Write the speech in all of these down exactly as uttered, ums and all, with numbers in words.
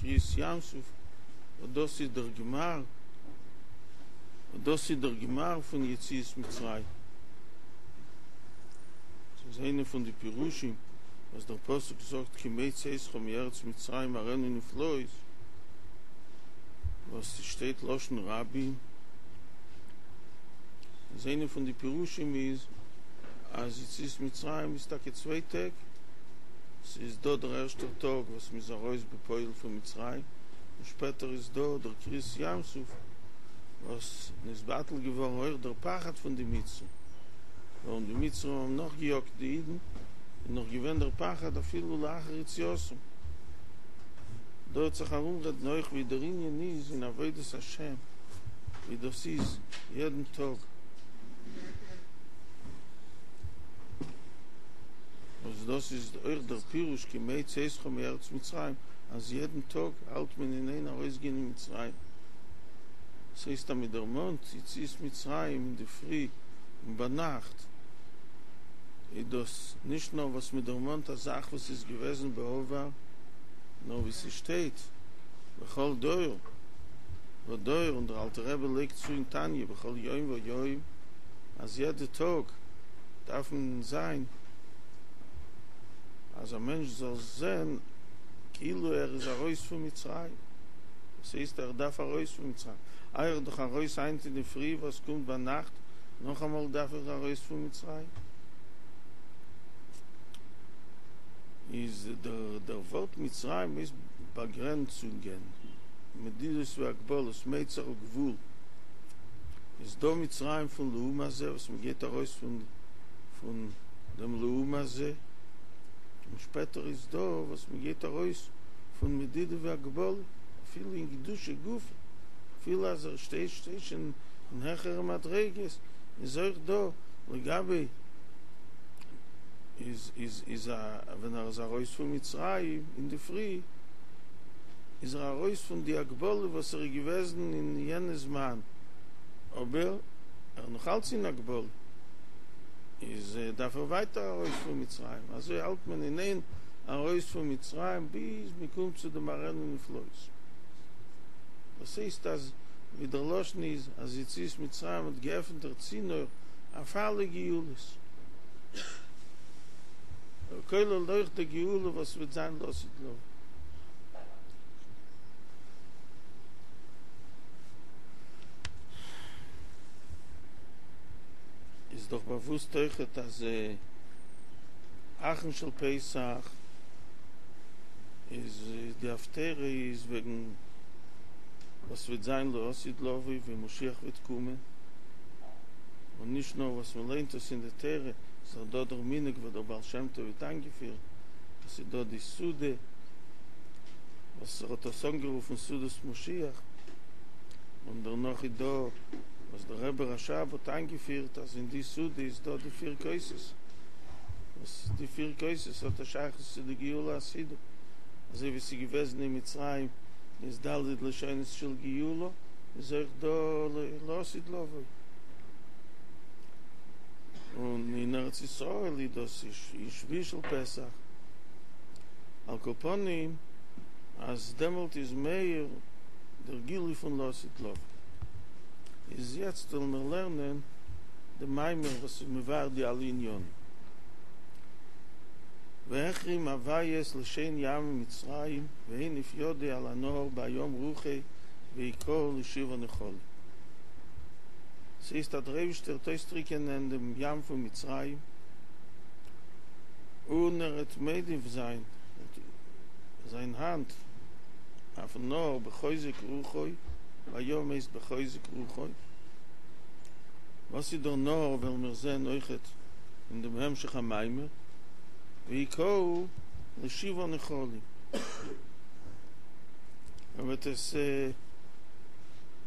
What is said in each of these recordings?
קריעת ים סוף, וואס דאס איז דער גמר, וואס דאס איז דער גמר פון יציאת מצרים. ס'איז איינע פון די פירושים וואס דער פסוק זאגט כימי צאתך מארץ מצרים אראנו נפלאות, וואס ס'שטייט לשון רבים, איז איינע פון די פירושים איז אז יציאת מצרים איז טאקע צוויי טעג, ס'איז דא דער ערשטער טאג וואס מ'איז ארויס בפועל פון מצרים, און שפעטער איז דא דער קריעת ים סוף וואס נתבטל געווארן אויך דער פחד פון די מצרים, ווארום די מצרים האבן נאכגעיאגט די אידן, איז נאך געווען דער פחד אפילו לאחר יציאתם. דא וועט זיך ארומרעדן אויך ווי דער ענין איז אין עבודת השם, ווי דאס איז יעדן טאג. וואס דאס איז אויך דער פירוש כימי צאתך מארץ מצרים, אז יעדן טאג האלט מען אין איין ארויסגיין אין מצרים. דאס הייסט אז מען דערמאנט יציאת מצרים אינדערפרי און ביינאכט, איז דאס נישט נאר וואס מען דערמאנט א זאך וואס איז געוועזן בעבר, נאר ווי ס'שטייט בכל דור ודור, און דער אלטער רבי לייגט צו אין תניא בכל יום ויום, אז יעדע טאג דארף מען זיין אז א מענטש זאל זען כאילו ער איז ארויס פון מצרים, וואס הייסט ער דארף ארויס פון מצרים? איי ער איז דאך ארויס היינט אינדערפרי, וואס קומט ביינאכט נאכאמאל דארף ער ארויס פון מצרים? איז דער דער ווארט מצרים איז באגרענצונגען, מדידות והגבלות, מיצר וגבול, איז דא מצרים פון לעומת זה וואס מען גייט ארויס פון פון דעם לעומת זה, און שפעטער איז דא וואס מען גייט ארויס פון מדידה והגבלה, אפילו אין קדושה גופא, אפילו אז ער שטייט שטייט שוין אין העכערע מדריגות, איז אויך דא לגבי איז איז איז א ווען ער איז ארויס פון מצרים אינדערפרי איז ער ארויס פון די הגבלה וואס ער איז געוועזן אין יענע זמן, אבער ער איז נאך אלץ אין הגבלה, איז דארף ער ווייטער ארויס פון מצרים, אזוי האלט מען אין איין ארויס פון מצרים ביז מען קומט צו דעם אראנו נפלאות. דאס הייסט אז ווי דער לשון איז אז יציאת מצרים האט געעפנט דער צינור אויף אלע גאולות, כולל אויך די גאולה וואס וועט זיין לעתיד לבוא. איז דאך באוואוסט אויכעט אז אחרון של פסח איז די הפטרה איז וועגן וואס וועט זיין לעתיד לבוא ווען משיח וועט קומען, און נישט נאר וואס מען ליינט עס אין די תורה, ס'איז דאך דא דער מנהג וואס דער בעל שם טוב האט איינגעפירט, עס איז דא די סעודה וואס ער האט עס אנגערופן סעודת משיח, און דערנאך איז דא וואס דער רבי רש"ב האט איינגעפירט אז אין די סעודה איז דא די פיר כוסות, וואס די פיר כוסות האט א שייכות צו די גאולה העתידה, אזוי ווי ס'איז געוועזן אין מצרים איז ד' לשונות של גאולה, איז אויך דא לעתיד לבוא. און אין ארץ ישראל איז דאס אין שביעי של פסח, על כל פנים אז דעמאלט איז מאיר דער גילוי פון לעתיד לבוא. איז יעצט וועלן מיר לערנען די מאמר וואס איז מבאר די אלע עניינים. והחרים הוי' את לשון ים מצרים והניף ידו על הנהר בים רוחו והכהו לשבעה נחלים. ס'הייסט אז דער אייבישטער וועט אויסטריקענען דעם ים פון מצרים, און ער וועט מניף זיין זיין האנט אויפן נהר בחוזק רוחו, בים הייסט בחוזק רוחו, וואס איז דער נהר וועלן מיר זען אויכעט אין דעם המשך המאמר, והכהו לשבעה נחלים, ער וועט עס.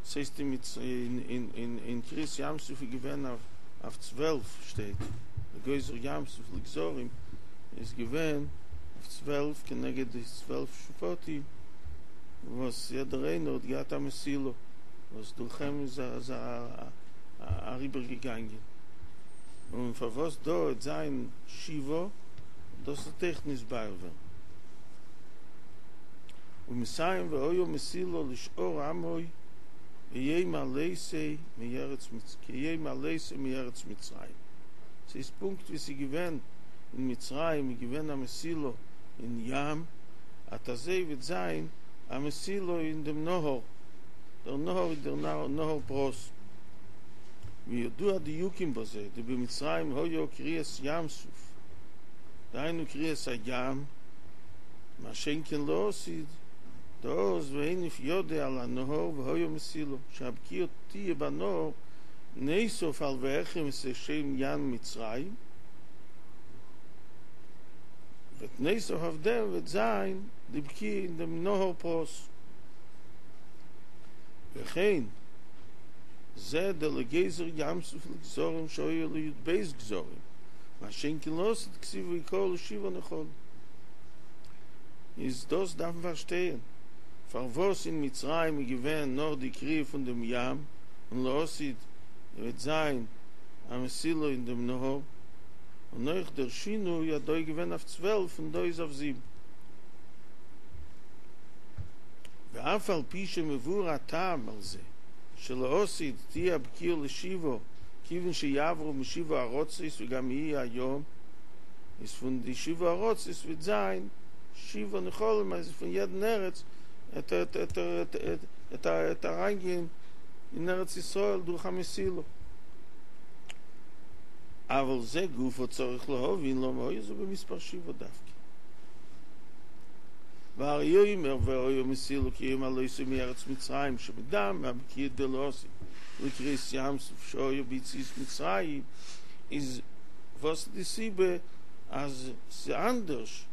ס'הייסט אין קריעת ים סוף איז געווען אויף צוועלף שטייט וגוזר ים סוף לגזרים איז געווען אויף צוועלף כנגד די צוועלף שבטים וואס יעדער איינער האט געהאט א מסילה וואס דורך אים איז אריבער געגאנגען און פארוואס דא וועט זיין שבעה דאס וועט אויך נתבאר ווערן. ומסיים והיה מסילה לשאר עמו ביום עלותו מארץ כיום עלותו מארץ מצרים. ס'איז פונקט ווי ס'איז געווען אין מצרים איז געווען א מסילה אין ים, אט אזוי וועט זיין א מסילה אין דעם נהר, דער נהר איז דער נהר פרת. וידוע הדיוקים בזה, דבמצרים היה קריעת ים סוף, דהיינו קריעת הים, מה שאין כן לעתיד, דאז והניף ידו על הנהר והיה מסילה, שהבקיעה תהיה בנהר נוסף על והחרים את שם ים מצרים, וועט נוסף אויף דעם וועט זיין די בקיעה אין דעם נהר פרת. וכן זה דלגזר ים סוף לגזרים שהיו לי"ב גזרים, מה שאין כן לעתיד כתיב והכהו לשבעה נחלים. איז דאס דארף מען פארשטיין פארוואס אין מצרים איז געווען נאר די קריעה פון דעם ים, און לעתיד וועט זיין א מסילה אין דעם נהר, און אויך דער שינוי אז דא איז געווען אויף צוועלף און דא איז אויף זיבן. ואף על פי שמבואר הטעם על זה שלעתיד תהיה הבקיעה לשבעה כיוון שיעברו משבעה ארצות וגם יהיה הים, איז פון די שבעה ארצות וועט זיין שבעה נחלים אז פון יעדן ארץ וועט אריינגיין אין ארץ ישראל דורך א מסילה. אבל זה גופא צריך להבין למה היה זה במספר שבעה דווקא. והרי אומר והיה מסילה כיום עלותו מארץ מצרים שמדמה הבקיעה דלעתיד לקריעת ים סוף שהיה ביציאת מצרים איז וואס די סיבה אז ס'אנדערש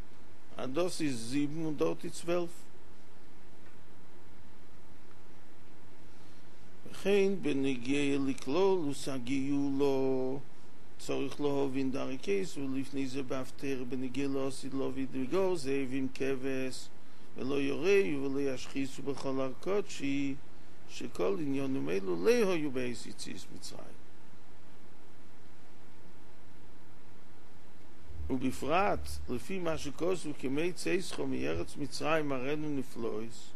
אז דאס איז זיבן און דארט איז צוועלף. וכן בנוגע לכללות הגאולה צריך להבין דהרי כתבו לפני זה בהפטרה בנוגע לעתיד לבוא דוגר זאב עם כבש ולא ירעו ולא ישחיתו בכל הר קדשי שכל ענינים אלו לא היו בעת יציאת מצרים ובפרט לפי מה שכתוב כימי צאתך מארץ מצרים אראנו נפלאות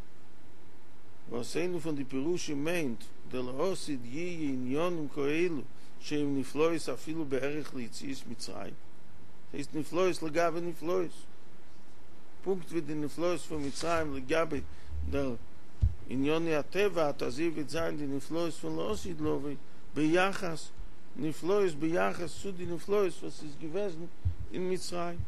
וואס איינע פון די פירושים מיינט דלעתיד יהיה ענינים כאלו שהם נפלאות אפילו בערך ליציאת מצרים, ס'הייסט נפלאות לגבי נפלאות, פונקט ווי די נפלאות פון מצרים לגבי דער עניני הטבע, אט אזוי וועט זיין די נפלאות פון לעתיד לבוא ביחס נפלאות ביחס צו די נפלאות וואס איז געוועזן אין מצרים.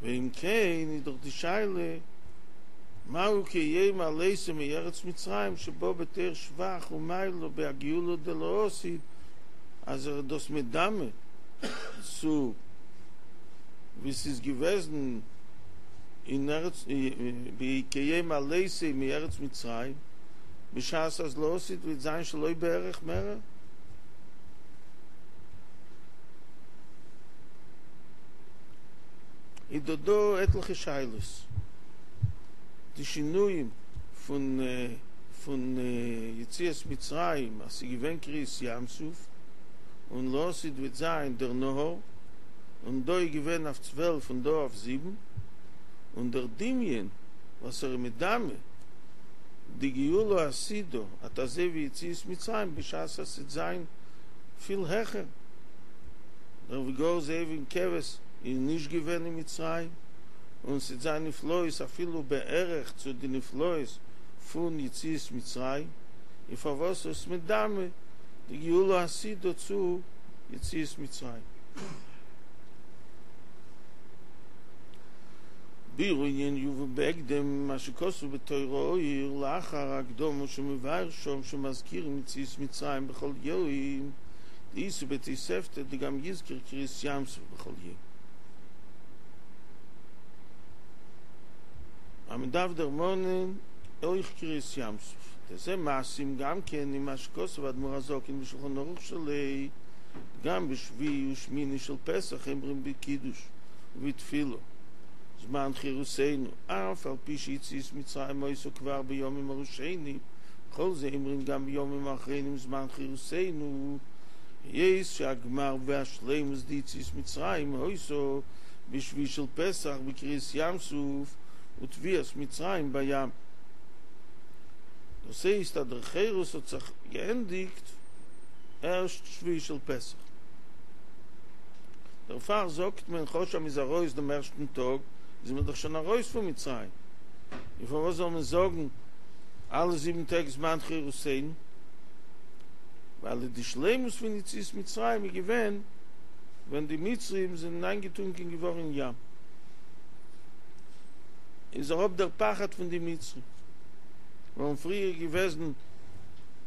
ואם כן איז דאך די שאלה מהו כיום עלותו מארץ מצרים שבא בתור שבח ומעלה בהגאולה דלעתיד אז ער איז דאס מדמה צו ווי ס'איז געוועזן אין ארץ כיום עלותו מארץ מצרים בשעת אז לעתיד וועט זיין שלא בערך מערער. איז דא דא עטליכע שאלות, די שינויים פון פון יציאת מצרים אז ס'איז געווען קריעת ים סוף און לעתיד וועט זיין דער נהר, און דא איז געווען אויף צוועלף און דא אויף זיבן, און דער דמיון וואס ער איז מדמה די גאולה העתידה אט אזוי ווי יציאת מצרים בשעת אז ס'וועט זיין פיל העכער דער וגר זאב עם כבש איז נישט געווען אין מצרים, און ס'וועט זיין נפלאות אפילו בערך צו די נפלאות פון יציאת מצרים, און פארוואס איז מדמה די גאולה העתידה צו יציאת מצרים? ביאור הענין יובא בהקדם מה שכתוב בתורה אור לאחר ההקדמה שמבאר שם שמזכירים יציאת מצרים בכל יום דאיתא בתוספתא דגם יזכור קריעת ים סוף בכל יום. אז מען דארף דערמאנען אויך קריעת ים סוף, דזה מתאים גם כן עם מה שכתב אדמו"ר הזקן בשולחן ערוך שלו, גם בשביעי ושמיני של פסח אומרים בקידוש ובתפילה זמן חירותינו, אף על פי שיציאת מצרים היתה כבר בימים הראשונים, כל זה אומרים גם בימים האחרונים זמן חירותינו, היות שהגמר והשלימות דיציאת מצרים היתה בשביעי של פסח בקריעת ים סוף וטביעת מצרים בים. דאס הייסט אז דער חירות האט זיך געענדיגט ערשט שביעי של פסח. דערפאר זאגט מען כאטש אז מ'איז ארויס דעם ערשטן טאג איז מען דאך שוין ארויס פון מצרים, און פארוואס זאל מען זאגן אלע זיבן טעג זמן חירותינו? ווייל די שלימות פון יציאת מצרים איז געווען ווען די מצרים זענען איינגעטונקען געווארן אין ים, איז אראפ דער פחד פון די מצרים, ווארום פריער איז געוועזן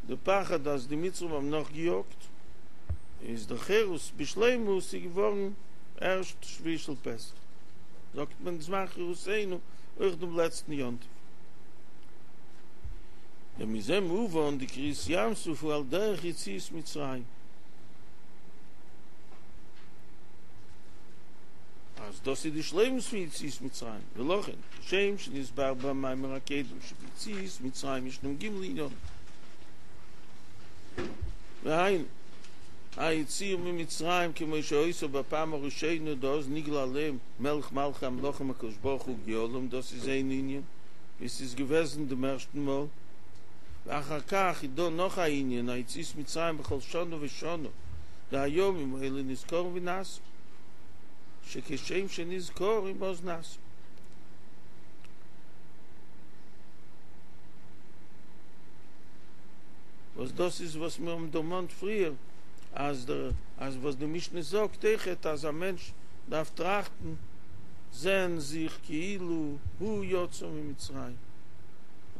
די פחד אז די מצרים האבן נאכגעיאגט, איז דער חירות בשלימות איז געווארן ערשט שביעי של פסח, זאגט מען זמן חירותינו אויך דעם לעצטן יום טוב. ומזה מובן דקריעת ים סוף הוא על דרך יציאת מצרים. אז דאס איז די שלימות פון יציאת מצרים, ולכן כשם שנתבאר במאמר הקודם שביציאת מצרים ישנם ג' ענינים, והיינו, היציאה ממצרים כמו שהיתה בפעם הראשונה דאז נגלה עליהם מלך מלכי המלכים הקדוש ברוך הוא וגאלם, דאס איז איין ענין ווי ס'איז געוועזן דעם ערשטן מאל, ואחר כך איז דא נאך א ענין היציאת מצרים בכל שנה ושנה, והימים האלה נזכרים ונעשים, שכשם שנזכרים אז נעשים. וואס דאס איז וואס מיר האבן דערמאנט פריער, אז דער אז וואס די משנה זאגט אויכעט אז א מענטש דארף טראכטן, זען זיך כאילו הוא יצא ממצרים,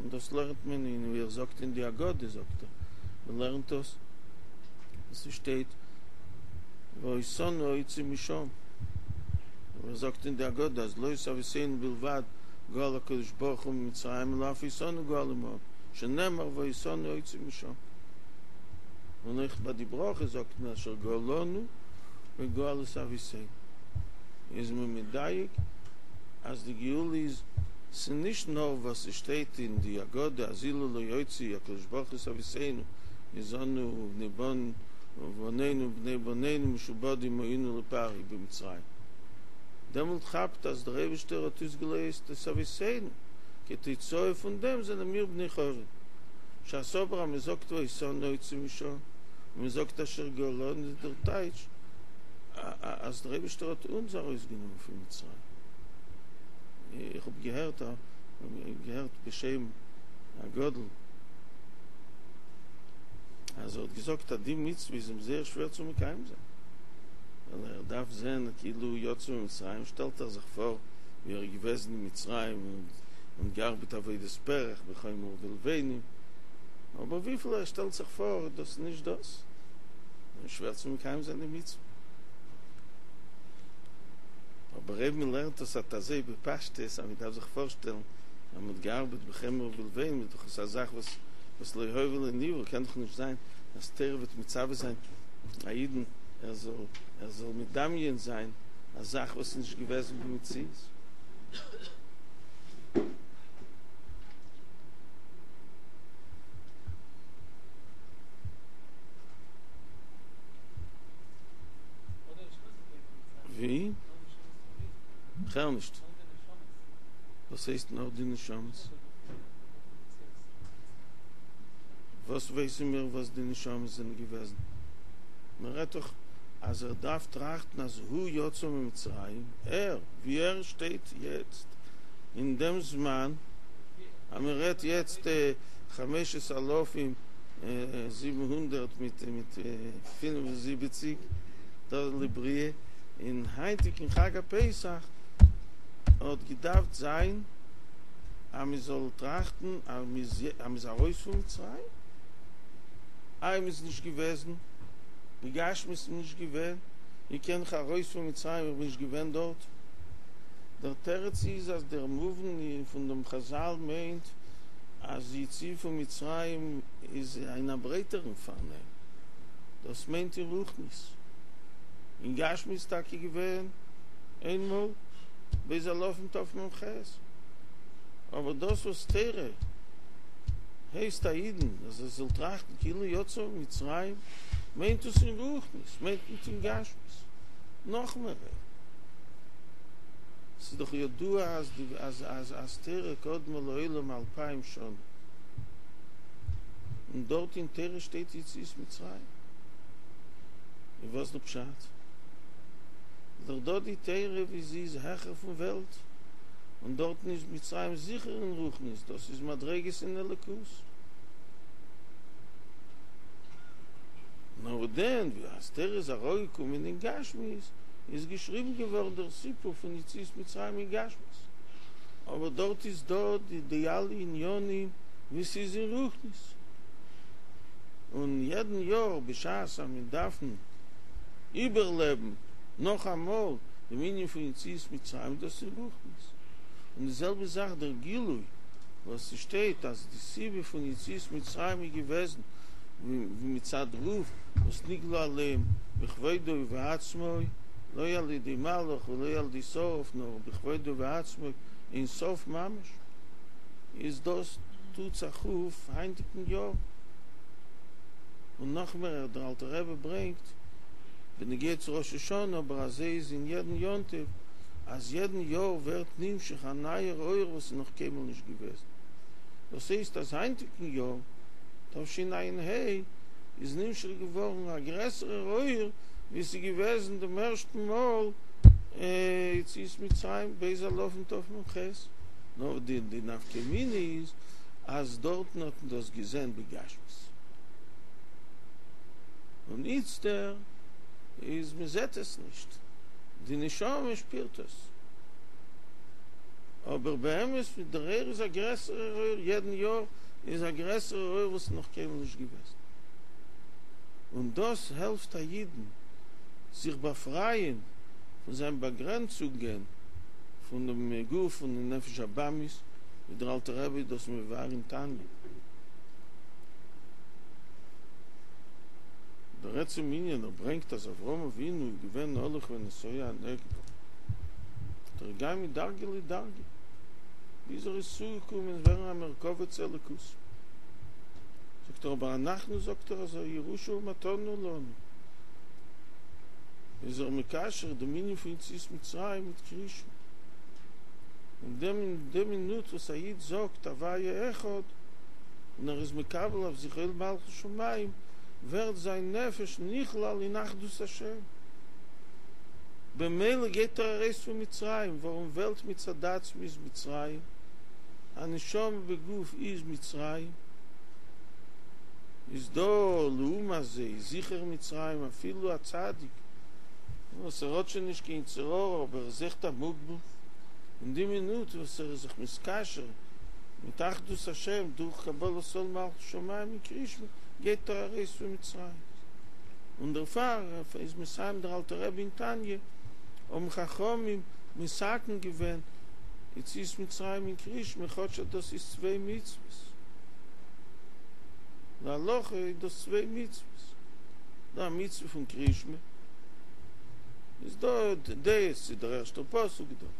און דאס לערנט מען אין ווי ער זאגט אין די הגדה זאגט ער, מען לערנט דאס וואס ס'שטייט ואותנו הוציא משם, און ער זאגט אין די הגדה אז לא את אבותינו בלבד גאל הקדוש ברוך הוא ממצרים אלא אף אותנו גאל עמהם, שנאמר ואותנו הוציא משם, און אויך ביי די ברכה זאגט מען אשר גאלנו וגאל את אבותינו, איז מען מדייק אז די גאולה איז ס'נישט נאר וואס ס'שטייט אין די הגדה אז אילו לא הוציא הקדוש ברוך הוא את אבותינו איז אנו ובני בנינו ובני בנינו משועבדים היינו לפרעה במצרים, דעמאלט כאפט אז דער אייבישטער האט אויסגעלייזט את אבותינו, כתוצאה פון דעם זענען מיר בני חורין. בשעת אבער אז מ'זאגט ואותנו הוציא משם און מ'זאגט אשר גאלנו איז דער טייטש אז דער אייבישטער האט אונז ארויסגענומען פון מצרים. איך האב געהערט געהערט בשם הגדול אז ער האט געזאגט אז די מצוה איז אים זייער שווער צו מקיים זיין, ווייל ער דארף זען כאילו יצא ממצרים, שטעלט ער זיך פאר ווי ער איז געוועזן אין מצרים און געארבעט עבודת פרך בחומר ובלבנים, אבער וויפיל ער שטעלט זיך פאר דאס איז נישט דאס, איז שווער צו מקיים זיין די מצוה. אבער אויב מען לערנט עס אט אזוי בפשטות אז מען דארף זיך פארשטעלן אז מען האט געארבעט בחומר ובלבנים איז דאך עס א זאך וואס וואס לא היה ולא נברא, קען דאך נישט זיין אז תורה וועט מצווה זיין א אידן ער זאל ער זאל מדמיין זיין א זאך וואס איז נישט געוועזן במציאות. ווי? כ'הער נישט. וואס הייסט נאר די נשמות? וואס ווייסן מיר וואס די נשמות זענען געוועזן? מען רעדט דאך אז ער דארף טראכטן אז הוא יצא ממצרים, ער, ווי ער שטייט יעצט אין דעם זמן, אז מען רעדט יעצט חמשת אלפים זיבן הונדערט מיט מיט פינף און זיבעציק דאס לבריאה, אין היינטיגן חג הפסח האט געדארפט זיין אז מען זאל טראכטן אז מען איז ארויס פון מצרים, איי מען איז נישט געוועזן, בגשמיות איז מען נישט געווען, ווי קען איך ארויס פון מצרים איך בין נישט געווען דארט, דער תירוץ איז אז דער מובן פון דעם חזל מיינט אז יציאה פון מצרים איז אין א ברייטערן פארנעם, דאס מיינט אין רוחניות, אין גשמיות איז טאקע געווען איינמאל ב' אלפים תמ"ח, אבער דאס וואס תורה הייסט א אידן אז ער זאל טראכטן כאילו יצא ממצרים מיינט עס אין רוחניות, מיינט ניט אין גשמיות, נאך מער. ס'איז דאך ידוע אז די אז אז אז תורה קדמה לעולם אלפיים שנה, און דארט אין תורה שטייט יציאת מצרים, און וואס די פשט? איז דאך דא די תורה ווי זי איז העכער פון וועלט, און דארטן איז מצרים זיכער אין רוחניות, דאס איז מדריגות אין אלוקות. נאר דען ווי אז תורה איז אראפגעקומען אין גשמיות, איז געשריבן געווארן דער סיפור פון יציאת מצרים אין גשמיות, אבער דארט איז דא די די אלע עניינים ווי ס'איז אין רוחניות, און יעדן יאר בשעת אז מיר דארפן איבערלעבן נאכאמאל דעם ענין פון יציאת מצרים, דאס איז רוחניות. און די זעלבע זאך דער גילוי וואס ס'שטייט אז די סיבה פון יציאת מצרים איז געוועזן ווי מצד דערויף וואס נגלה עליהם בכבודו ובעצמו, לא על ידי מלאך ולא על ידי שרף נאר בכבודו ובעצמו אין סוף ממש, איז דאס טוט זיך אויף היינטיגן יאר. און נאכמער דער אלטער רבי ברענגט בנוגע צו ראש השנה, אבער אזוי איז אין יעדן יום טוב, אז יעדן יאר ווערט נמשך א נייער אור וואס איז נאך קיינמאל נישט געוועזן. דאס הייסט אז היינטיגן יאר תשע"ה איז נמשך געווארן א גרעסערער אור ווי ס'איז געוועזן דעם ערשטן מאל יציאת מצרים ב' אלפים תמ"ח. נאר די די נפקא מינה איז אז דארטן האט מען דאס געזען בגשמיות און איצטער איז מען זעט עס נישט, די נשמה שפירט עס, אבער באמת דער אור איז א גרעסערער אור, יעדן יאר איז א גרעסערער אור וואס איז נאך קיינמאל נישט געוועזן, און דאס העלפט א אידן זיך באפרייען פון זיין באגרענצונגען פון דעם גוף און די נפש הבהמית, ווי דער אלטער רבי איז דאס מבאר אין תניא. דער עצם ענין ער ברענגט אז אברהם אבינו איז געווען הולך ונסוע הנגבה, ער איז געגאנגען מדרגה לדרגה ביז ער איז צוגעקומען ווערן א מרכבה צו אלוקות. זאגט ער אבער אנחנו זאגט ער אז ירושה ומתנה לנו איז ער מקשר דעם ענין פון יציאת מצרים מיט קריאת שמע. אין דעם אין די מינוט וואס א איד זאגט הוויה אחד און ער איז מקבל אויף זיך עול מלכות שמים, ווערט זיין נפש נכלל אין אחדות השם, במילא גייט ער ארויס פון מצרים, ווארום וועלט מצד עצמו איז מצרים, א נשמה בגוף איז מצרים, איז דא לעומת זה איז זיכער מצרים אפילו א צדיק וואס ער האט שוין נישט קיין יצר הרע אבער ער איז אויכעט א מוגבל, אין די מינוט וואס ער איז זיך מתקשר מיט אחדות השם דורך קבלת עול מלכות שמים אין קריאת שמע גייט ער ארויס פון מצרים, און דערפאר איז מסיים דער אלטער רבי אין תניא, האבן חכמים מתקן געווען יציאת מצרים אין קריאת שמע כאטש אז דאס איז צוויי מצוות, להלכה איז דאס צוויי מצוות, דא א מצוה פון קריאת שמע, איז דא דעות צו דער ערשטער פסוק דארט,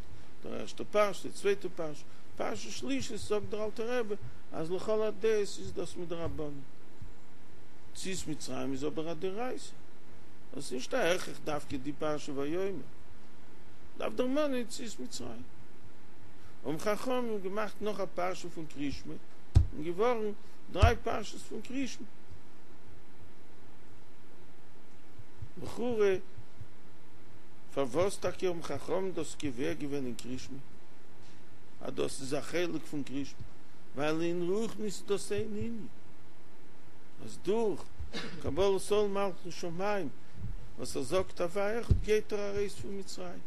דער ערשטער פרשה, די צווייטע פרשה, פרשה שלישית זאגט דער אלטער רבי אז לכל הדעות איז דאס מדרבנן. יציאת מצרים איז אבער א דאורייתא, דאס איז נישט א הכרח דווקא די פרשה ויאמר, דארף דערמאנען יציאת מצרים. האבן חכמים געמאכט נאך א פרשה פון קריאת שמע, און געווארן דריי פרשות פון קריאת שמע. לכאורה פארוואס טאקע האבן חכמים דאס קובע געווען אין קריאת שמע אז דאס איז א חלק פון קריאת שמע, ווייל אין רוחניות איז דאס איין ענין, אז דורך קבלת עול מלכות שמים וואס ער זאגט הוויה אחד גייט ער ארויס פון מצרים,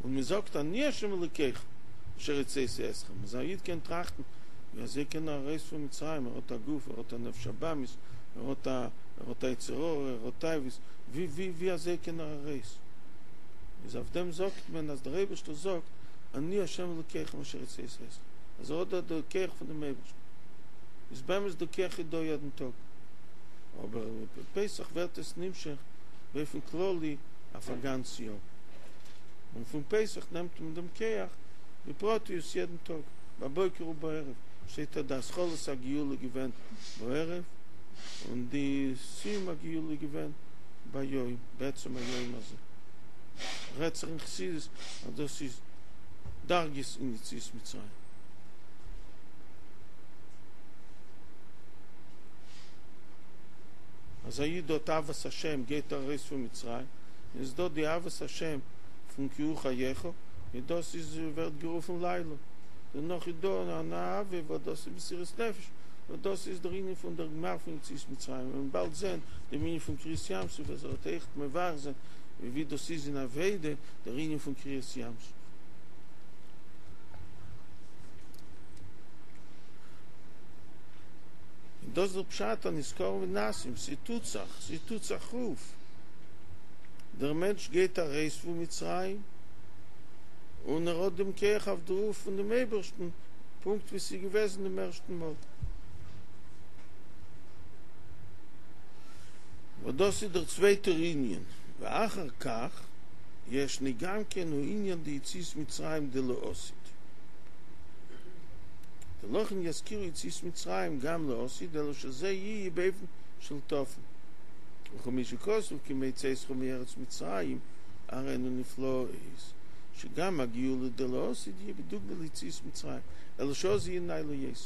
און מען זאגט אני השם אלוקיכם אשר הוצאתי אתכם, אז א איד קען טראכטן ווי אזוי קען ער ארויס פון מצרים, ער האט א גוף, ער האט א נפש הבהמית, ער האט א ער האט א יצר הרע, ער האט תאוות, ווי ווי ווי אזוי קען ער ארויס? איז אויף דעם זאגט מען אז דער אייבערשטער זאגט אני ה' אלוקיכם אשר הוצאתי אתכם, אז ער האט דא די כח פון דעם אייבערשטן, איז באמת די כח איז דא יעדן טאג, אבער פסח ווערט עס נמשך באופן כללי אויף א גאנץ יאר, און פון פסח נעמט מען דעם כח בפרטיות יעדן טאג, בבוקר ובערב, שטייט אז די התחלת הגאולה געווען בערב, און די סיום הגאולה געווען ביום, בעצם היום הזה. רעדט זיך אין חסידות אז דאס איז דרגות אין יציאת מצרים. אז א איד האט אהבת השם גייט ער ארויס פון מצרים, איז דא די אהבת השם פון כי הוא חייך, און דאס איז ווערט גערופן לילה, דערנאך איז דא אן אהבה וואס דאס איז מסירות נפש, וואס דאס איז דער ענין פון דער גמר פון יציאת מצרים, און באלד זען דעם ענין פון קריעת ים סוף, אז ער וועט אויכעט מבאר זיין ווי דאס איז אין עבודה דער ענין פון קריעת ים סוף. און דאס איז דער פשט אז נזכרים ונעשים, ס'טוט זיך, ס'טוט זיך אויף, דער מענטש גייט ארויס פון מצרים, און ער האט דעם כח אויף דערויף פון דעם אייבערשטן, פונקט ווי ס'איז געוועזן דעם ערשטן מאל. וואס דאס איז דער צווייטער ענין, ואחר כך ישנו גם כן הוא ענין דיציאת מצרים דלעתיד, דלכן יזכירו יציאת מצרים גם לעתיד אלא שזה יהיה באופן של טפל, וכמו שכתוב כימי צאתך מארץ מצרים אראנו נפלאות, שגם הגאולה דלעתיד יהיה בדוגמא ליציאת מצרים, אלא שאז יהיה נעלה יותר.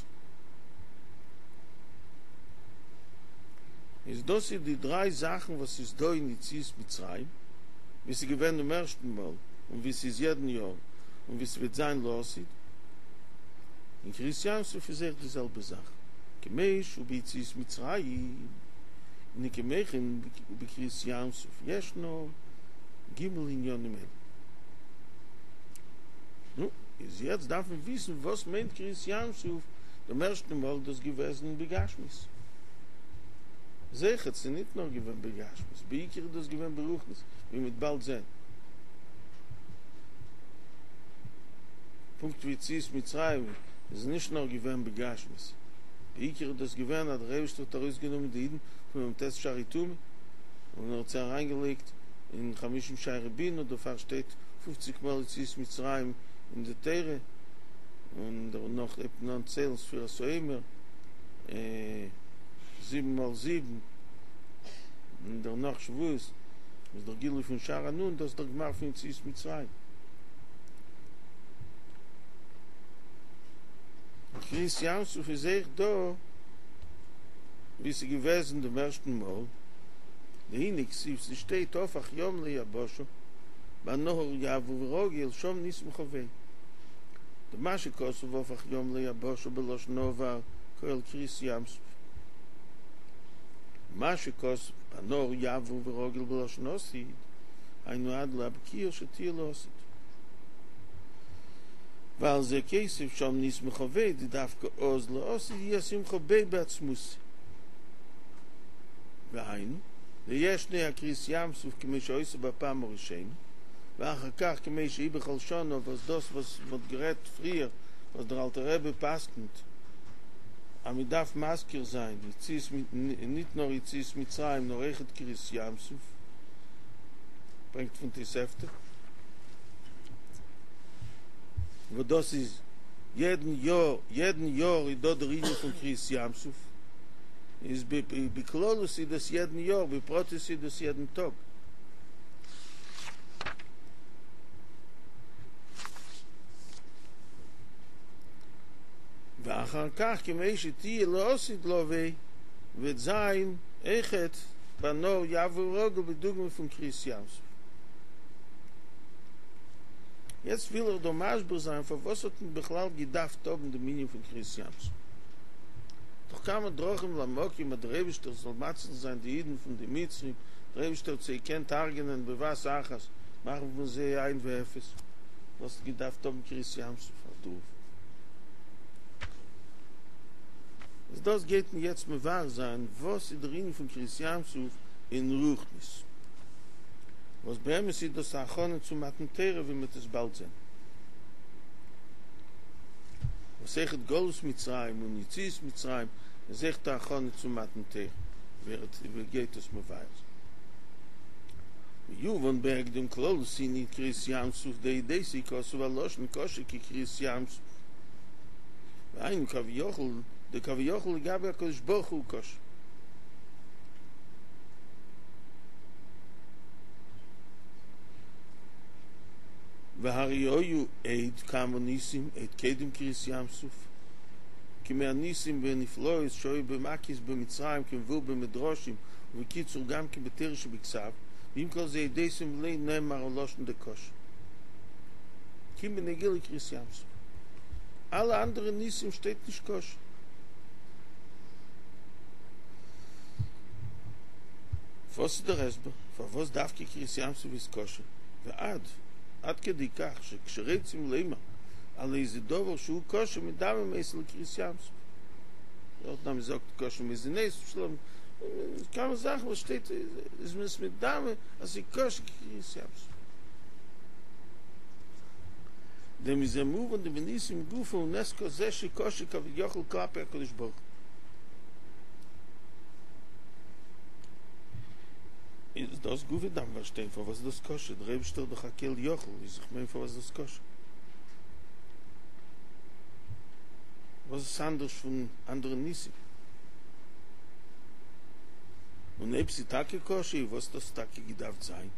איז דאס איז די דריי זאכן וואס איז דא אין יציאת מצרים, ווי ס'איז געווען דעם ערשטן מאל, און ווי ס'איז יעדן יאר, און ווי ס'וועט זיין לעתיד. אין קריעת ים סוף איז אויך די זעלבע זאך, כמו שהוא ביציאת מצרים, הנה כמו כן בקריעת ים סוף ישנו ג' עניינים אלו. נו, איז יעצט דארף מען וויסן וואס מיינט קריעת ים סוף, דעם ערשטן מאל איז דאס געוועזן בגשמיות. זיכער, ס'איז ניט נאר געווען בגשמיות, בעיקר איז דאס געווען ברוחניות, ווי מ'וועט באלד זען. פונקט ווי יציאת מצרים איז נישט נאר געווען בגשמיות, בעיקר איז דאס געווען אז דער אייבערשטער האט ארויסגענומען די אידן פון מ"ט שערי טומאה און ער האט זיי אריינגעלייגט אין חמישים שערי בינה, דערפאר שטייט פופציג מאל יציאת מצרים אין די תורה, און דערנאך הייבט מען אן ציילן ספירת העומר זיבן מאל זיבן, און דערנאך שבועות איז דער גילוי פון שער הנון, דאס איז דער גמר פון יציאת מצרים. קריעת ים סוף איז אויך דא ווי ס'איז געוועזן דעם ערשטן מאל, דהנה כתיב ס'שטייט הפך ים ליבשה בנהר יעבור רגל שם נסמכה ביה, דמה שכתוב הפך ים ליבשה בלשון עבר כולל קריעת ים סוף, מה שכתוב בנהר יעבור ורגיל בלשון עתיד היינו עד לבקיעה שתהיה לעתיד. ועל זה כתיב שם נסמכה ביה דדווקא אז לעתיד יהיה שמחה ביה בעצמותא. והיינו, דישנו הקריעת ים סוף כמו שהיתה בפעם הראשונה, ואחר כך כמו שהיא בכל שנה וואס דאס וואס מ'האט גערעדט פריער וואס דער אלטער רבי פסק'נט אז מ'דארף מזכיר זיין יציאת ניט נאר יציאת מצרים נאר אויכעט קריעת ים סוף, ברענגט פון תוספתא. וואס דאס איז יעדן יאר, יעדן יאר איז דא דער ענין פון קריעת ים סוף, איז בכללות איז דאס יעדן יאר, בפרטיות איז דאס יעדן טאג. ואחר כך כמו שתהיה לעתיד לבוא, וועט זיין אויכעט בנהר יעבור רגל בדוגמא פון קריעת ים סוף. יעצט וויל איך דא מסביר זיין פארוואס האט מען בכלל געדארפט האבן דעם ענין פון קריעת ים סוף. דאך כמה דרכים למקום אז דער אייבישטער זאל מציל זיין די אידן פון די מצרים, דער אייבישטער האט זיי געקענט הרג'נען בבת אחת, מאכן פון זיי אין ואפס, וואס האט געדארפט האבן קריעת ים סוף אויף דערויף? איז דאס גייט מען יעצט מבאר זיין וואס איז דער ענין פון קריעת ים סוף אין רוחניות. וואס באמת איז דאס א הכנה צו מתן תורה ווי מ'וועט עס באלד זען. וואס אויכעט גלות מצרים און יציאת מצרים איז אויכעט א הכנה צו מתן תורה, ווי ער גייט עס מבאר זיין. ויובן בהקדם כללות ענין קריעת ים סוף דאודותיו כתוב הלשון קשה כקריעת ים סוף, והיינו כביכול דכביכול לגבי הקדוש ברוך הוא קשה. והרי היו עוד כמה ניסים עוד קודם קריעת ים סוף כמו הניסים ונפלאות שהיו במכות במצרים כמבואר במדרשים ובקיצור גם כן בתורה שבכתב ועם כל זה הודיתם ולא נאמר הלשון דקשה כי אם בנוגע לקריעת ים סוף אלע אנדערע ניסים שטייט נישט קשה. וואס איז דער הסבר פארוואס דווקא קריעת ים סוף איז קשה ועד עד כדי כך שכשרוצים לומר על איזה דבר שהוא קשה מדמים אותו לקריעת ים סוף דארטן אז מ'זאגט קשה מזונות שלום כמה זאכן וואס שטייט איז מען עס מדמה אז ס'איז קשה כקריעת ים סוף דמזה מובן דבניסים גופא הוא נס כזה שקשה כביכול כלפי הקדוש ברוך הוא. איז דאס גופא דארף מען פארשטיין פארוואס איז דאס קשה, דער אייבישטער איז דאך א כל יכול, איז איך מיין פארוואס איז דאס קשה? וואס איז עס אנדערש פון אנדערע ניסים? און אויב ס'איז טאקע קשה, איז וואס דאס טאקע געדארפט זיין?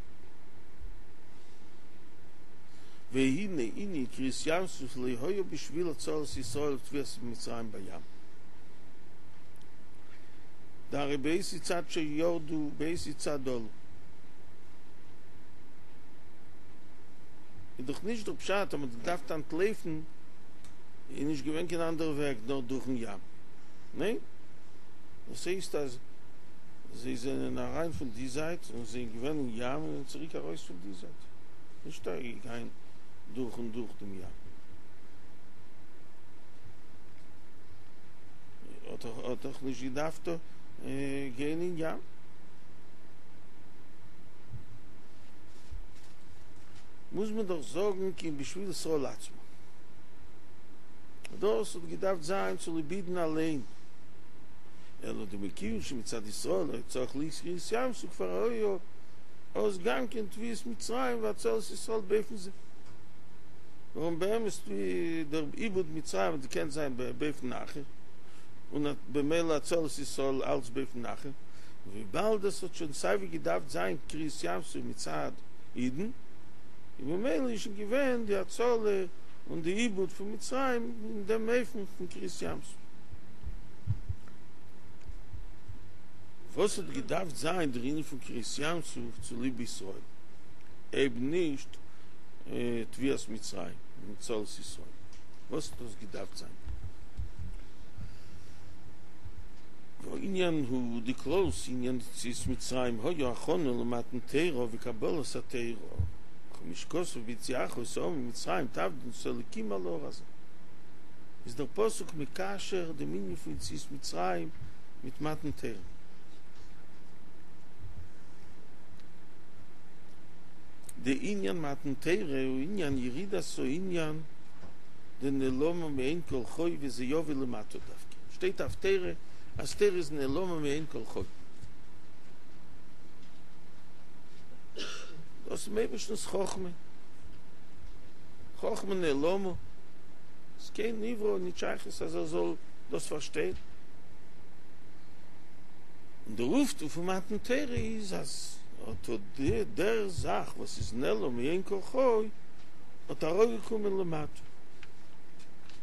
והנה ענין קריעת ים סוף לא היה בשביל הצלת ישראל וטביעת מצרים בים. דהרי באותו צד שירדו באותו צד עלו. איז דאך נישט דער פשט אז מען האט געדארפט אנטלויפן איז נישט געווען קיין אנדערע וועג נאר דורכן ים. ניין? דאס הייסט אז זיי זענען אריין פון די זייט און זענען געווען אין ים און זענען צוריק ארויס פון די זייט. נישט גיין דורך און דורך דעם ים. האט דאך נישט געדארפט גיין אין ים. מוז מען דאך זאגן כי אם בשביל ישראל עצמם. דאס האט געדארפט זיין צוליב אידן אליין. אלא דמכיוון שמצד ישראל היה צריך להיות קריעת ים סוף כבר היה אז גם כן טביעת מצרים והצלת ישראל באופן זה. ווארום באמת דער איבוד מצרים האט געקענט זיין באופן אחר, און במילא הצלת ישראל אלץ באופן אחר, און וויבאלד עס האט שוין סייווי געדארפט זיין קריעת ים סוף מצד אידן, און במילא איז שוין געווען די הצלה און די איבוד פון מצרים אין דעם אופן פון קריעת ים סוף. וואס האט געדארפט זיין דער ענין פון קריעת ים סוף צוליב ישראל, אויב נישט טביעת מצרים און הצלת ישראל? וואס האט דאס געדארפט זיין? והעניין הוא דכללות עניין יציאת מצרים היה הכנה למתן תורה וקבלת התורה, וכמו שכתוב בהוציאך את העם ממצרים תעבדון את האלקים על ההר הזה. איז דער פסוק מקשר דעם ענין פון יציאת מצרים מיט מתן תורה. דענין מתן תורה הוא ענין ירידת הענין דנעלמה מעין כל חי וזה יבוא למטה דווקא. שטייט אויף תורה אז תורה איז נעלמה מעין כל חי. דאס איז דעם אייבערשטנ'ס חכמה, חכמה נעלמה, איז קיין נברא נישט שייכות אז ער זאל דאס פארשטיין. און דער אויפטו פון מתן תורה איז אז אט אט דער זאך וואס איז נעלם מעין כל חי האט אראפגעקומען למטה,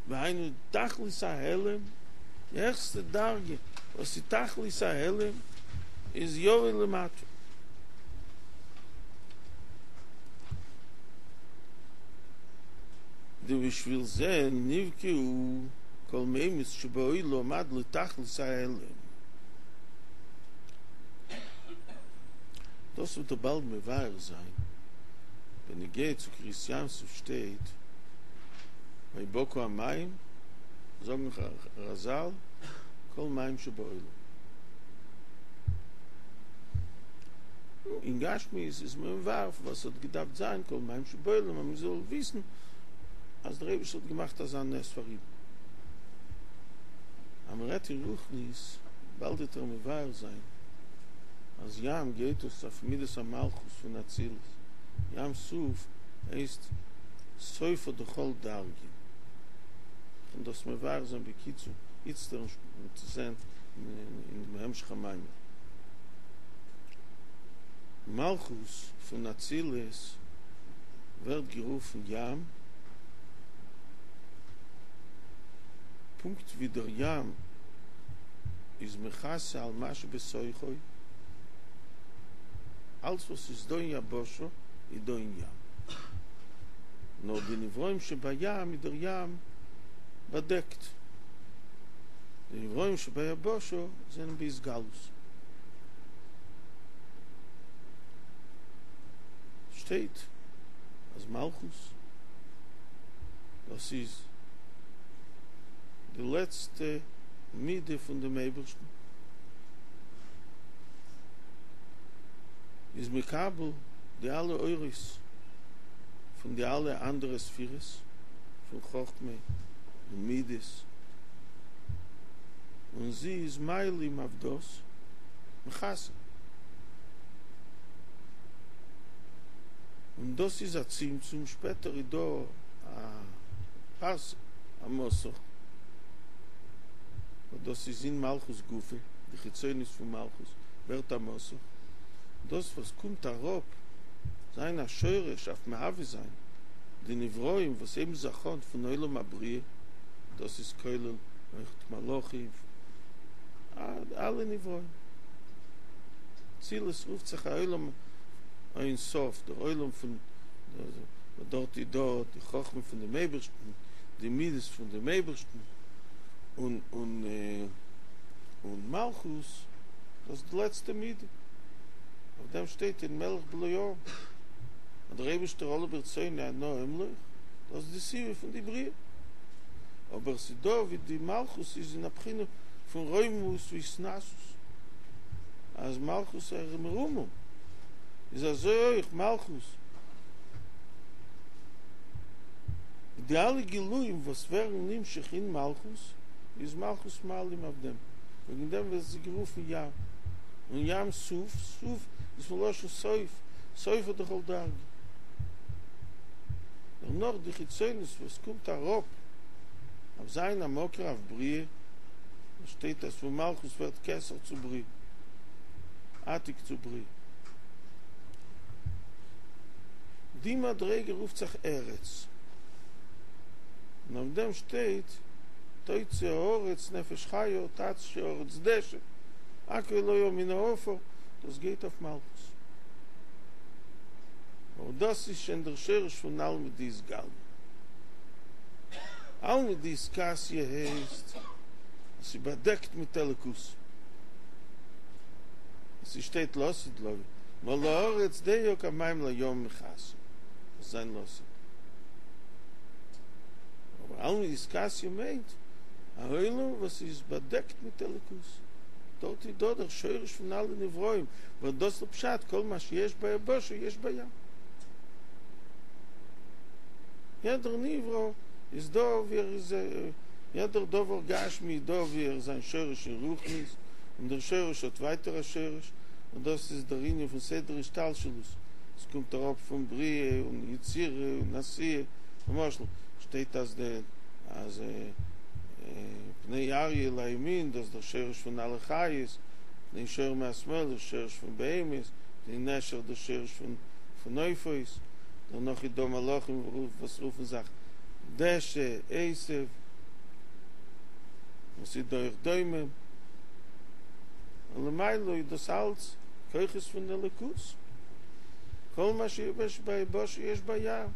והיינו תכלית ההעלם, די העכסטע דרגה וואס איז תכלית ההעלם איז יבוא למטה. דבשביל זה נבקעו כל מימות שבעולם עד לתכלית ההעלם. דאס וועט ער באלד מבאר זיין. בנוגע צו קריעת ים סוף שטייט ויבקעו המים, זאגן רז"ל כל מים שבעולם. אין גשמיות איז מען מבאר פארוואס ס'האט געדארפט זיין כל מים שבעולם אז מ'זאל וויסן אז דער אייבערשטער האט געמאכט אזא נס פאר אידן. אז מ'רעדט אין רוחניות, באלד וועט ער מבאר זיין אז ים גייט אויס אויף מידת המלכות פון אצילות, ים סוף הייסט סופא דכל דרגין. כ'קען דאס מבאר זיין בקיצור איצטער און זען אין דעם המשך המאמר. מלכות פון אצילות ווערט גערופן ים, פונקט ווי דער ים איז מכסה על מה שבתוכו, אלץ וואס איז דא אין יבשה איז דא אין ים, נאר די נבראים שבים איז דער ים באדעקט, די נבראים שביבשה זענען בהתגלות. שטייט אז מלכות דאס איז די לעצטע מידה פון דעם אייבערשטן, איז מקבל די אלע אורות פון די אלע אנדערע ספירות פון חכמה און מידות, און זי איז מעלים אויף דאס מכסה. און דאס איז א צמצום, שפעטער איז דא א פרסה, א מסך, וואס דאס איז אין מלכות גופא, די חיצוניות פון מלכות ווערט א מסך, דאס וואס קומט אראפ זיין א שורש אויף מהווה זיין די נבראים וואס הייבן זיך אן פון עולם הבריאה, דאס איז כולל אויכט מלאכים, אלע נבראים. אצילות רופט זיך א עולם אין סוף, דער עולם פון דארט איז דא די חכמה פון דעם אייבערשטן, די מידות פון דעם אייבערשטן, און און און מלכות דאס איז די לעצטע מידה, אויף דעם שטייט אין מלך בלא עם, אז דער אייבערשטער עלה ברצונו אנא אמלוך, דאס איז די סיבה פון די בריאה, אבער ס'איז דא ווי די מלכות איז אין א בחינה פון רוממות והתנשאות, אז מלכות איז מרומם, איז אזוי אויך מלכות, די אלע גילויים וואס ווערן נמשך אין מלכות, איז מלכות מעלים אויף דעם, וועגן דעם ווערט זי גערופן ים, און ים סוף, סוף איז פון לשון סוף, סופא דכל דרגא. דערנאך די חיצוניות וואס קומט אראפ אויף זיין א מקור אויף בריאה, וואס שטייט אז פון מלכות ווערט כתר צו בריאה, עתיק צו בריאה. די מדריגה רופט זיך ארץ, און אויף דעם שטייט תוצא הארץ נפש חיה תדשא הארץ דשא הכל היה מן העפר, דאס גייט אויף מלכות. אבער דאס איז שוין דער שורש פון עלמא דאתגליא. עלמא דאתכסיא הייסט אז ס'איז באדעקט מיט אלוקות. עס שטייט לעתיד לבוא, מלאה הארץ דעה כמים לים מכסה, דאס איז זיין לעתיד. אבער עלמא דאתכסיא מיינט א עולם וואס איז באדעקט מיט אלוקות, דארט איז דא דער שורש פון אלע נבראים, וואס דאס איז פשט כל מה שיש ביבשה יש בים. יעדער נברא איז דא ווי ער איז, יעדער דבר גשמי איז דא ווי ער איז זיין שורש אין רוחניות, און דער שורש האט ווייטער א שורש, און דאס איז דער ענין פון סדר השתלשלות, עס קומט אראפ פון בריאה און יצירה און עשייה, למשל שטייט אז די אז פני אריה לימין דאס איז דער שורש פון אלע חיות, פני שור מהשמאל דער שורש פון בהמות, פני נשר דער שורש פון פון עופות, דערנאך איז דא מלאכים וואס רופן זיך דשא, עשב, און ס'איז דא אויך דומם. און למעלה איז דאס אלץ כוחות פון אלוקות, כל מה שיש ביבשה יש בים,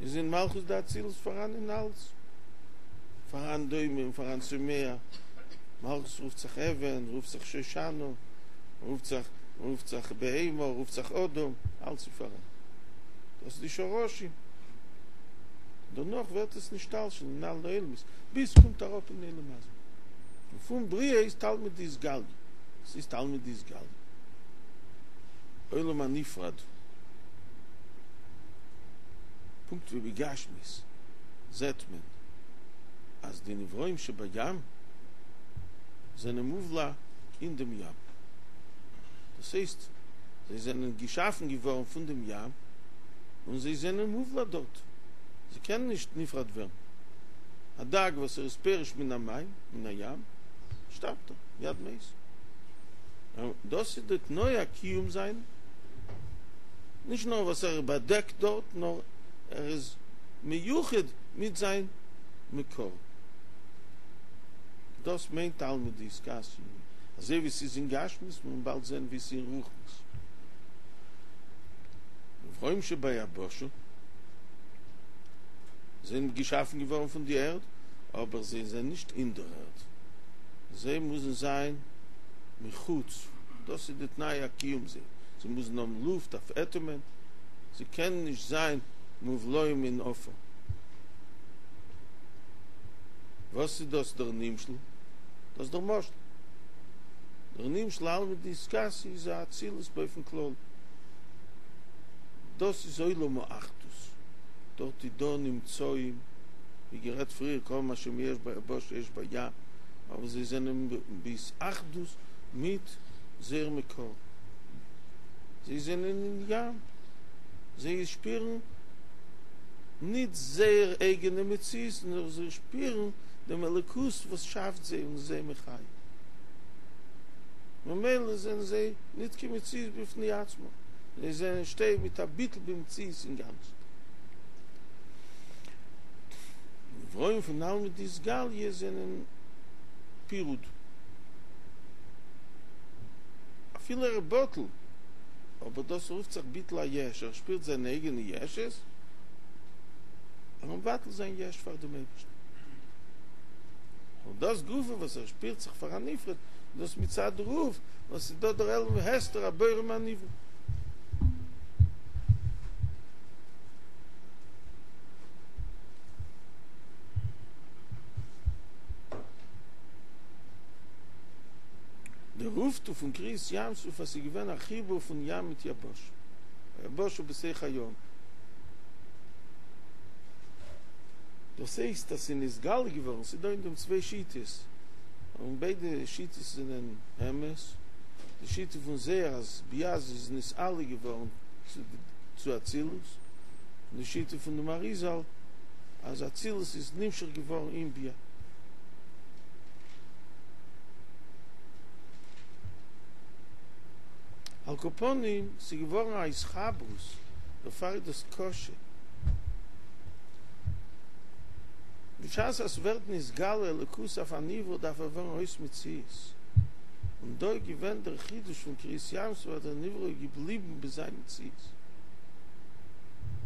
איז אין מלכות דאצילות פאראן אין אלץ, פאראן דומם, פאראן צומח, מלכות רופט זיך אבן, רופט זיך שושנה, רופט זיך רופט זיך בהמה, רופט זיך אדם, אלץ איז פאראן, דאס איז די שרשים, דערנאך ווערט עס נשתלשל אין אלע עולמות, ביז ס'קומט אראפ אין עולם הזה. און פון בריאה איז עלמא דאתגליא, ס'איז עלמא דאתגליא, עולם הנפרד, פונקט ווי בגשמיות זעט מען אז די נבראים שבים זענען מובלע אין דעם ים, דאס הייסט זיי זענען געשאפן געווארן פון דעם ים און זיי זענען מובלע דארט, זיי קענען נישט נפרד ווערן. א דג וואס ער איז פורש מן המים, מן הים, שטארבט ער, מיד מת. דאס איז די תנאי הקיום זיינע. נישט נאר וואס ער באדעקט דארט, נאר ער איז מיוחד מיט זיין מקור. דאס מיינט עלמא דאתכסיא, אזוי ווי ס'איז אין גשמיות, מיר וועלן באלד זען ווי ס'איז אין רוחניות. נבראים שביבשה זענען געשאפן געווארן פון די ערד, אבער זיי זענען נישט אין דער ערד, זיי מוזן זיין מחוץ, דאס איז די תנאי הקיום זיי, זיי מוזן האבן לופט אויף אטעמען, זיי קענען נישט זיין מובלעים אין עפר. וואס איז דאס דער נמשל? דאס איז דער משל. דער נמשל עלמא דאתכסיא איז א אצילות באופן כללי. דאס איז עולם האחדות, דארט איז דא נמצאים, ווי גערעדט פריער, כל מה שיש ביבשה יש בים, אבער זיי זענען בהתאחדות מיט זייער מקור, זיי זענען אין ים, זיי שפירן ניט זייער אייגענע מציאות, נאר זיי שפירן דעם אלוקות וואס שאפט זיי און איז זיי מחיה, ממילא זענען זיי ניט קיין מציאות בפני עצמו. זיי זענען שטייען מיט א ביטול במציאות אינגאנצן. נבראים פון עלמא דאתגליא זענען פירוד. אפילו ער איז בטל, אבער דאס רופט זיך ביטול היש, ער שפירט זיין אייגענע ישות, ער איז מבטל זיין יש פאר דעם אייבערשטן. און דאס גופא וואס ער שפירט זיך פאר א נפרד, דאס מצד דערויף וואס איז דא דער העלם והסתר הבורא מהנברא. דער אויפטו פון קריעת ים סוף אז ס'איז געווען א חיבור פון ים מיט יבשה, היבשה בתוך הים, דאס הייסט אז ס'איז נתגלה געווארן, ס'איז דא אין דעם צוויי שיטות, און ביידע שיטות זענען אמת, די שיטה פון זוהר אז בי"ע איז נתעלה געווארן צו אצילות, און די שיטה פון דעם אריזל אז אצילות איז נמשך געווארן אין בי"ע. על כל פנים, ס'איז געווארן א התחברות, דערפאר איז דאס קשה. בשעת אז ס'ווערט נתגלה אלוקות אויף א נברא דארף ער ווערן אויס מציאות, און דא איז געווען דער חידוש פון קריעת ים סוף אז דער נברא איז געבליבן ביי זיין מציאות,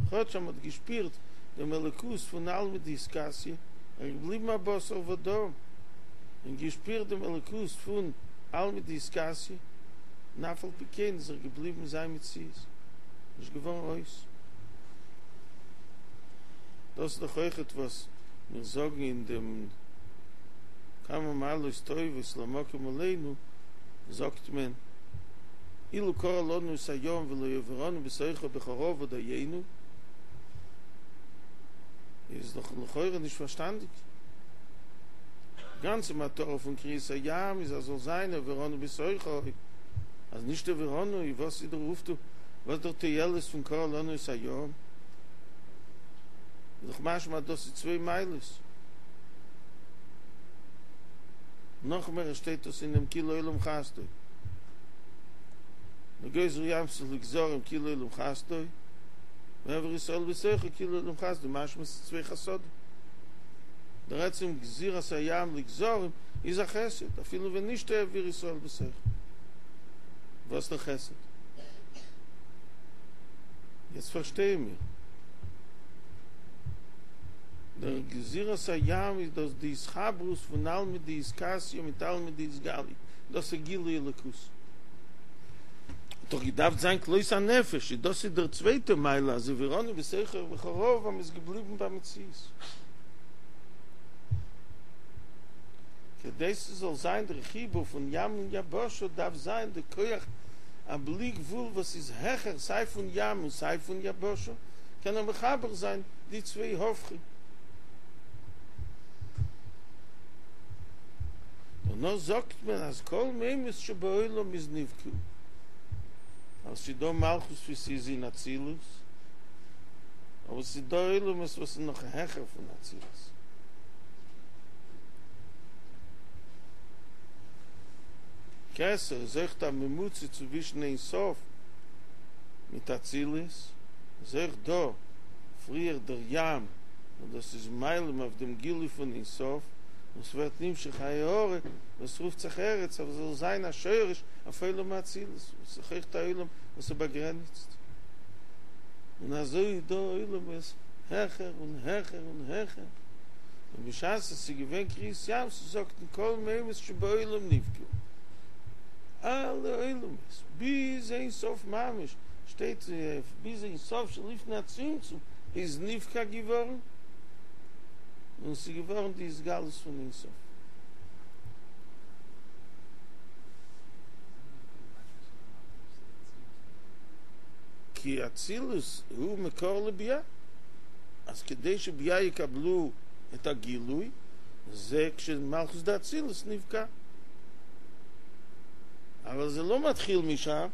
כאטש אז מ'האט געשפירט דעם אלוקות פון עלמא דאתכסיא, ער איז געבליבן א בשר ודם, און געשפירט דעם אלוקות פון עלמא דאתכסיא, און אף על פי כן איז ער געבליבן זיין מציאות, נישט געווארן אויס. דאס איז דאך אויכעט וואס מיר זאגן אין דעם כמה מעלות טובות למקום עלינו, זאגט מען, אילו קרע לנו את הים ולא העבירנו בתוכו בחרבה דיינו, איז דאך לכאורה נישט פארשטאנדיג. די גאנצע מטרה פון קריעת הים איז אז זאל זיין העבירנו בתוכו, אז נישט העבירנו איז וואס איז דער אויפטו, וואס איז דער תועלת פון קרע לנו את הים? איז דאך משמע אז דאס איז צוויי מעלות. נאך מער שטייט דאס אין דעם כי לעולם חסדו. וגוזר ים סוף לגזרים כי לעולם חסדו, והעביר ישראל בתוכו כי לעולם חסדו, משמע ס'איז צוויי חסדים. דער עצם גזירת הים לגזרים איז א חסד, אפילו ווען נישט העביר ישראל בתוכו. וואס דער חסד? יעצט פארשטייען מיר. דער גזירת הים איז דאס די התחברות פון עלמא דאתכסיא מיט עלמא דאתגליא, דאס איז גילוי אלוקות. האט דאך געדארפט זיין כלות הנפש, איז דאס איז דער צווייטע מעלה אז העבירנו בתוכו בחרבה אז מ'איז געבליבן במציאות. כדי ס'זאל זיין דער חיבור פון ים און יבשה דארף זיין די כח הבלי גבול וואס איז העכער סיי פון ים און סיי פון יבשה, קען ער מחבר זיין די צוויי הפכים. דערנאך זאגט מען אז כל מימות שבעולם איז נבקעו, אז ס'איז דא מלכות ווי ס'איז אין אצילות, אבער ס'איז דא עולמות וואס איז נאך העכער פון אצילות. כתר איז אויכט א ממוצע צווישן אין סוף מיט אצילות, איז אויך דא פריער דער ים, און דאס איז מעלים אויף דעם גילוי פון אין סוף, און ס'ווערט נמשך א הארה וואס רופט זיך ארץ, אז ס'זאל זיין א שורש אויף עולם האצילות, וואס איז אויך א עולם וואס איז באגרעניצט. און אזוי איז דא עולמות העכער און העכער און העכער, און בשעת עס איז געווען קריעת ים סוף זאגט מען כל מימות שבעולם נבקעו, אלע עולמות ביז אין סוף ממש, שטייט ביז אין סוף שלפני הצמצום איז נבקע געווארן, און עס איז געווארן די התגלות פון אין סוף. כי אצילות הוא מקור לבי"ע, אז כדי שבי"ע יקבלו את הגילוי, זה כשמלכות דאצילות נבקע. אבל זה לא מתחיל משם,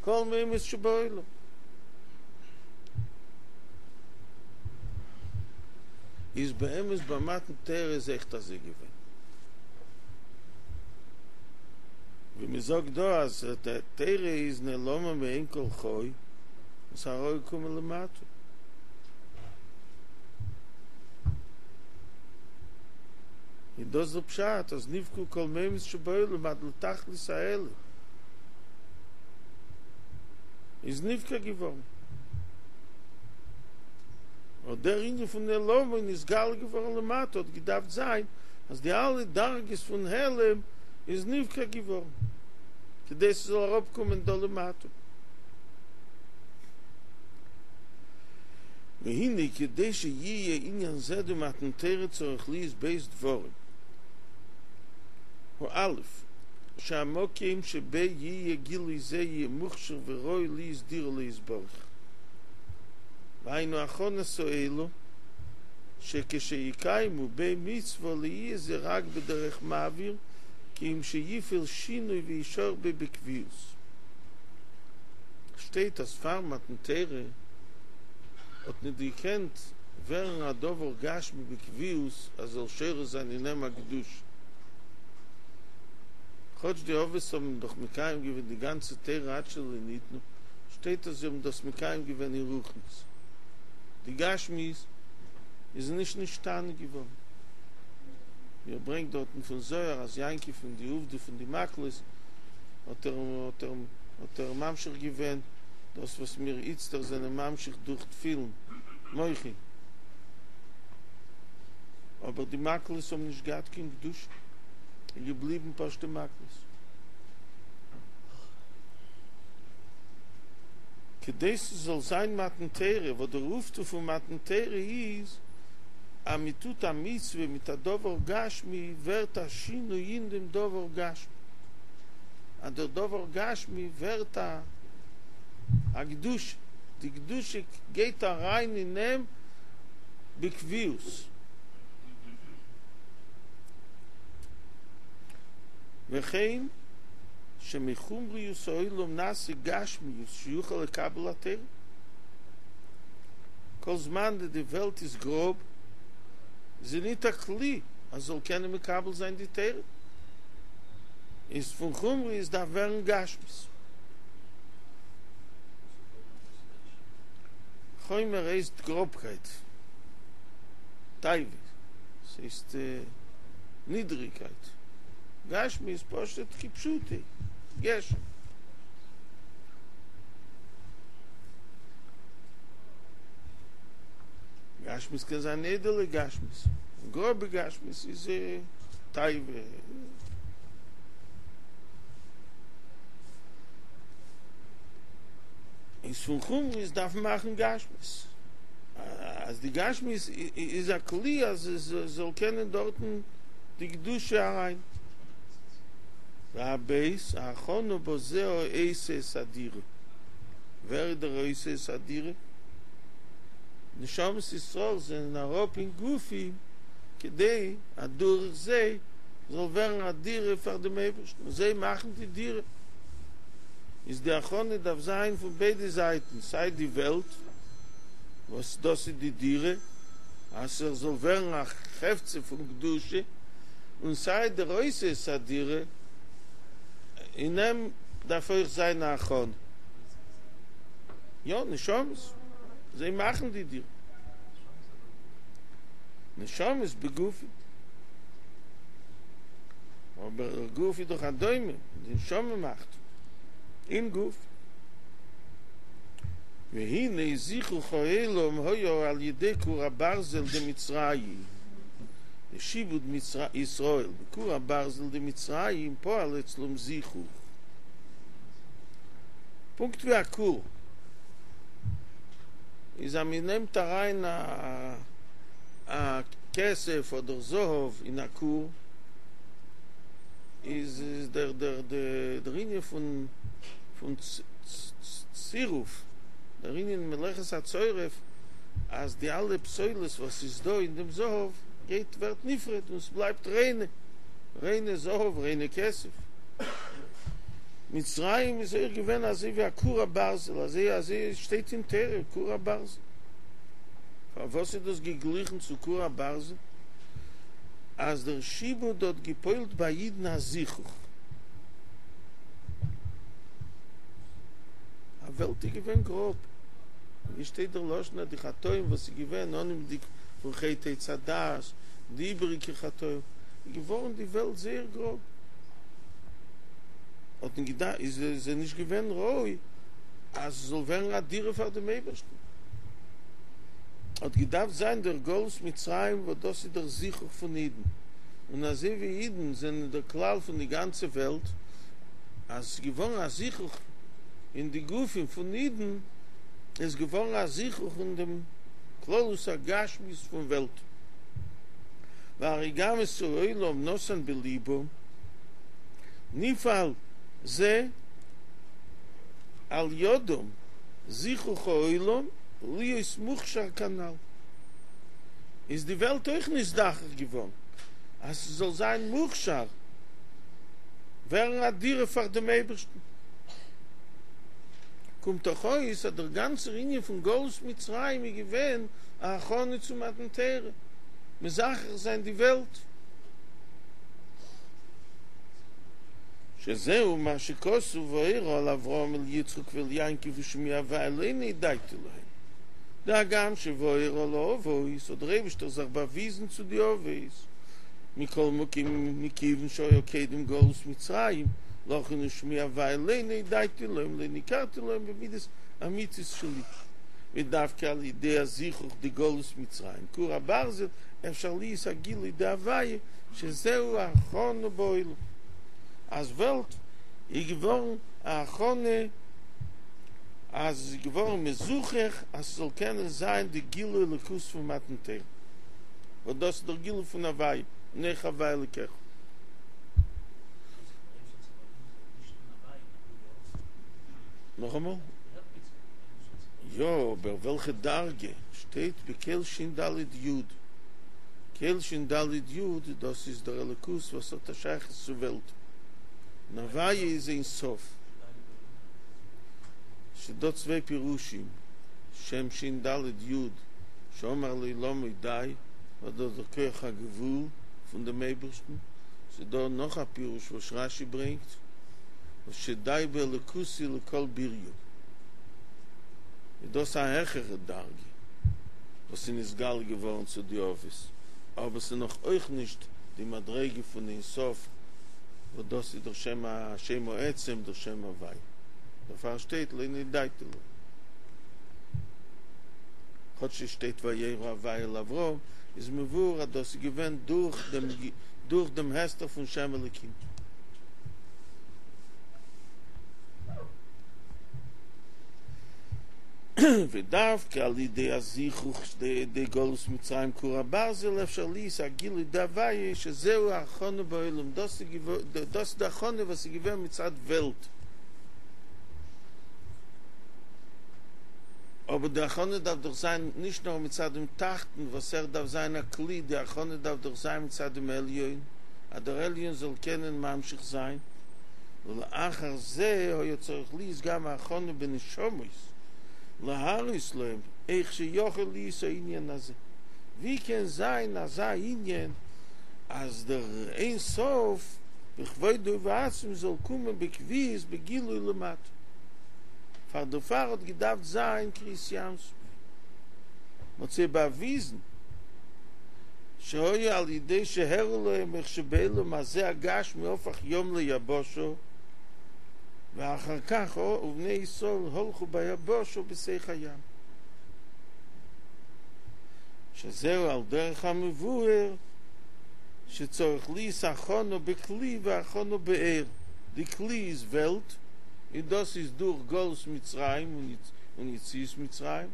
כל מימות שבעולם. איז באמת ביי מתן תורה איז אויכעט אזוי געווען. ווי מען זאגט דא אז די תורה איז נעלמה מעין כל חי און ס'איז אראפגעקומען למטה. איז דאס דער פשט אז נבקעו כל מימות שבעולם עד לתכלית העלם איז נבקע געווארן. אט דער ענין פון נעלמה און נתגלה געווארן למטה האט געדארפט זיין אז די אלע דרגות פון העלם איז נבקע געווארן כדי ס'זאל אראפקומען דא למטה. והנה כדי שיהיה עניין זה דמתן תורה צריך להיות ב' דברים. האלף, שהמקום שבו יהיה גילוי זה יהיה מוכשר וראוי להיות דירה לו יתברך. והיינו הכנת העולם, שכשיקיימו בו מצוה לא יהיה זה רק בדרך מעביר, כי אם שיפעל שינוי וישאר בו בקביעות. שטייט אז פאר מתן תורה האט ניט געקענט ווערן א דבר גשמי בקביעות אז זאל שורה זיין אין אים א קדושה. כאטש די אבות האבן דאך מקיים געווען די גאנצע תורה עד שלא ניתנה, שטייט אז זיי האבן דאס מקיים געווען אין רוחניות. די גשמיות איז נישט נשתנה געווארן. ווי ער ברענגט דארטן פון זוהר אז יעקב פון די עובדא פון די מקלות האט ער האט ער האט ער ממשיך געווען דאס וואס מיר איצטער זענען ממשיך דורך תפילין, מוחין. אבער די מקלות האבן נישט געהאט קיין קדושה, און געבליבן פשוטע מקלות. כדי ס'זאל זיין מתן תורה, וואס דער אויפטו פון מתן תורה איז, אז מ'טוט א מצוה מיט א דבר גשמי, ווערט א שינוי אין דעם דבר גשמי, אז דער דבר גשמי ווערט א א קדושה, די קדושה גייט אריין אין אים בקביעות. וכן שמחומריות העולם נעשה גשמיות שיוכל לקבל התורה. כל זמן די די וועלט איז גראב, איז זי ניט א כלי אז זאל קענען מקבל זיין די תורה. איז פון חומריות דארף ווערן גשמיות. חומר הייסט גראבקייט, תאווה, ס'הייסט נידריגקייט, גשמי איז פשוט כפשוטו, גשם. גשמיות קען זיין איידעלע גשמיות, גראבע גשמיות איז תאווה. איז פון חומריות דארף מען מאכן גשמיות, אז די גשמיות איז א כלי אז עס זאל קענען דארטן די קדושה אריין. והב' ההכנה בזה העושה את הדירה, ווער איז דער עושה את הדירה? נשמות ישראל זענען אראפ אין גופים כדי אז דורך זיי זאל ווערן א דירה פאר דעם אייבערשטן, און זיי מאכן די דירה. איז די הכנה דארף זיין פון ביידע זייטן, סיי די וועלט וואס דאס איז די דירה, אז ער זאל ווערן א חפצא פון קדושה, און סיי דער עושה את הדירה, אין אים דארף אויך זיין א הכנה. יא, נשמות, זיי מאכן די דירה. נשמות בגופים. אבער דער גוף איז דאך א דומם, די נשמה מאכט אין גוף. והנה זיכוך העולם היה על ידי כור הברזל דמצרים, דשעבוד ישראל, בכור הברזל דמצרים פועל אצלם זיכוך. פונקט ווי א כור איז אז מען נעמט אריין א כסף אדער זהב אין א כור, איז דער דער דער ענין פון פון צירוף, דער ענין מלאכת הצורף, אז די אלע פסולת וואס איז דא אין דעם זהב גייט ווערט נפרד און ס'בלייבט ריינע ריינע זהב ריינע כסף. מצרים איז אויך געווען אזוי ווי א כור הברזל, אזוי אזוי שטייט אין תורה, כור הברזל. פארוואס איז דאס געגליכן צו כור הברזל? אז דער שעבוד האט געפועלט ביי אידן א זיכוך. א וועלט איז געווען גראב. ווי שטייט דער לשון אז די חטאים וואס איז געווען אנהויבנדיג פון חטא עץ הדעת, די איבעריגע חטאים, איז געווארן די וועלט זייער גראב. האט מען געדארפט, איז עס נישט געווען ראוי אז עס זאל ווערן א דירה פאר דעם אייבערשטן. האט געדארפט זיין דער גלות מצרים וואס דאס איז דער זיכוך פון אידן, און אזוי ווי אידן זענען דער כלל פון די גאנצע וועלט, אז עס איז געווארן א זיכוך אין די גופים פון אידן, איז געווארן א זיכוך אין דעם כללות הגשמיות פון וועלט, והרי גם את העולם נתן בלבם, נפעל זה על ידם זיכוך העולם להיות מוכשר כנ"ל, איז די וועלט אויך נזדכך געווארן אז ס'זאל זיין מוכשר, ווערן א דירה פאר דעם אייבערשטן. קומט דאך אויס אז דער גאנצער ענין פון גלות מצרים איז געווען א הכנה צו מתן תורה, מזכך זיין די וועלט. שזהו מה שכתוב וארא אל אברהם אל יצחק ואל יעקב ושמי הוי' לא נודעתי להם, דהגם שוירא לאבות, האט דער אייבישטער זיך באוויזן צו די אבות, מכל מקום מכיוון שהיה קודם גלות מצרים, לכן ושמי הוי' לא נודעתי להם לא ניכרתי להם במידת אמיתית שלי, ודווקא על ידי הזיכוך דגלות מצרים כור הברזל אפשר להיות הגילוי דהוי' שזהו הכנה בעולם, אז וועלט איז געווארן א הכנה אז עס איז געווארן מזוכך אז ס'זאל קענען זיין די גילוי אלוקות פון מתן תורה, וואס דאס איז דער גילוי פון הוי' אנכי הוי' אלוקיך. נאכאמאל? יא, אבער וועלכע דרגה? שטייט בקל שין ד' יוד. קל שין ד' יוד, דאס איז דער אלוקות וואס האט א שייכות צו וועלט. און הוי' איז אין סוף. ס'דא צוויי פירושים, שם שין ד' יוד שאמר לעולמו די, וואס דאס איז דער כח הגבול פון דעם אייבערשטן, ס'דא נאך א פירוש וואס רש"י ברענגט, וואס שדי באלוקותי לכל בריו, איז דאס א העכערע דרגה וואס איז נתגלה געווארן צו די אבות, אבער ס'איז נאך אויך נישט די מדריגה פון אין סוף, וואס דאס איז דער שם השם העצם, דער שם הווי'. דערפאר שטייט לא נודעתי להם. כאטש עס שטייט וירא הווי' אל אברהם, איז מבואר אז דאס איז געווען דורך דעם דורך דעם הסתר פון שם אלוקים. ודווקא על ידי הזיכוך דגלות מצרים כור הברזל אפשר להיות הגילוי דהוויה שזהו ההכנה בעולם, דאס איז די הכנה וואס איז געווען מצד וועלט, אבער די הכנה דארף דאך זיין נישט נאר מצד דעם תחתון וואס ער דארף זיין א כלי, די הכנה דארף דאך זיין מצד דעם עליון, אז דער עליון זאל קענען ממשיך זיין, ולאחר זה היה צריך להיות גם הכנה בנשמות להראות להם איך שיכול להיות העניין הזה, ווי קען זיין אזא ענין אז דער אין סוף בכבודו ובעצמו זאל קומען בקביעות בגילוי למטה? פאר דערפאר האט געדארפט זיין קריעת ים סוף. מ'האט זיי באוויזן שהיה על ידי שהראו להם איך שבעולם הזה הגשמי הפך ים ליבשה ואחר כך ובני ישראל הלכו ביבשה בתוך הים שזהו על דרך המבואר שצריך להיות הכנה בכלי והכנה באור די כלי איז וועלט און דאס איז דורך גלות מצרים און יציאת מצרים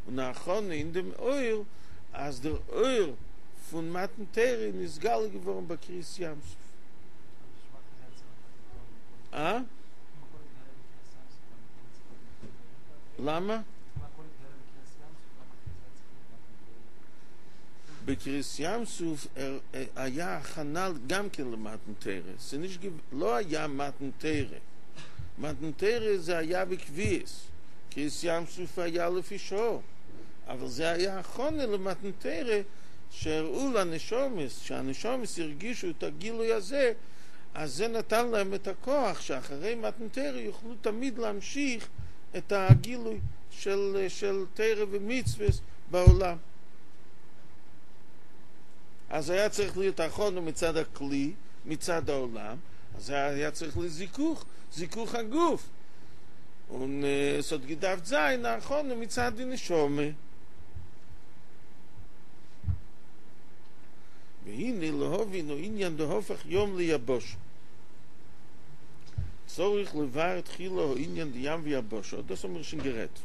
און הכנה אין דעם אור אז דער אור פון מתן תורה איז נתגלה געווארן ביי קריעת ים סוף. אה? למה? בקריעת ים סוף היה הכנה גם כן למתן תורה, ס'נישט לא היה מתן תורה, מתן תורה זה היה בקביעות, קריעת ים סוף היה לפי שעה, אבל זה היה הכנה למתן תורה שהראו לנשמות, שהנשמות הרגישו את הגילוי הזה, אז זה נתן להם את הכוח שאחרי מתן תורה יוכלו תמיד להמשיך את הגילוי של, של תורה ומצוות בעולם. אז היה צריך להיות הכנה מצד הכלי, מצד העולם, אז היה צריך לזיכוך, זיכוך הגוף. און עס האט געדארפט זיין הכנה מצד די נשמה. והנה להבין העניין דהפך ים ליבשה. צריך לבאר תחילה העניין דים ויבשה, דאס האבן מיר שוין גערעדט.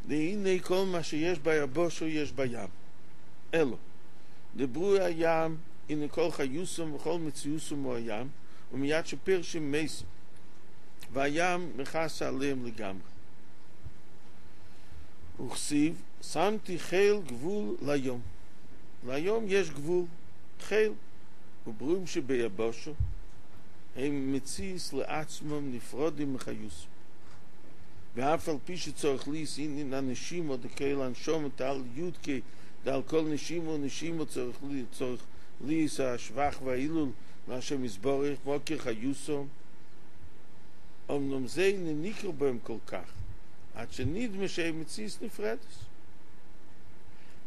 והנה כל מה שיש ביבשה יש בים. אלא, דברואי הים, הנה כל חיותם וכל מציאותם הוא הים, ומיד שפירשם מתים, והים מכסה עליהם לגמרי. וכתיב, שמתי חיל גבול לים. לים יש גבול, חיל, וברואים שביבשה, הם מציאות לעצמם נפרדים מחיותם. ואף על פי שצריך להיות ענין הנשימה דכולל הנשמה דעל יוד קיי דעל כל נשימה ונשימה צריך צריך להיות השבח וההילול להשם יתברך מקור חיותם אמנם זה אינו ניכר בהם כל כך עד שנדמה שהם מציאות נפרדת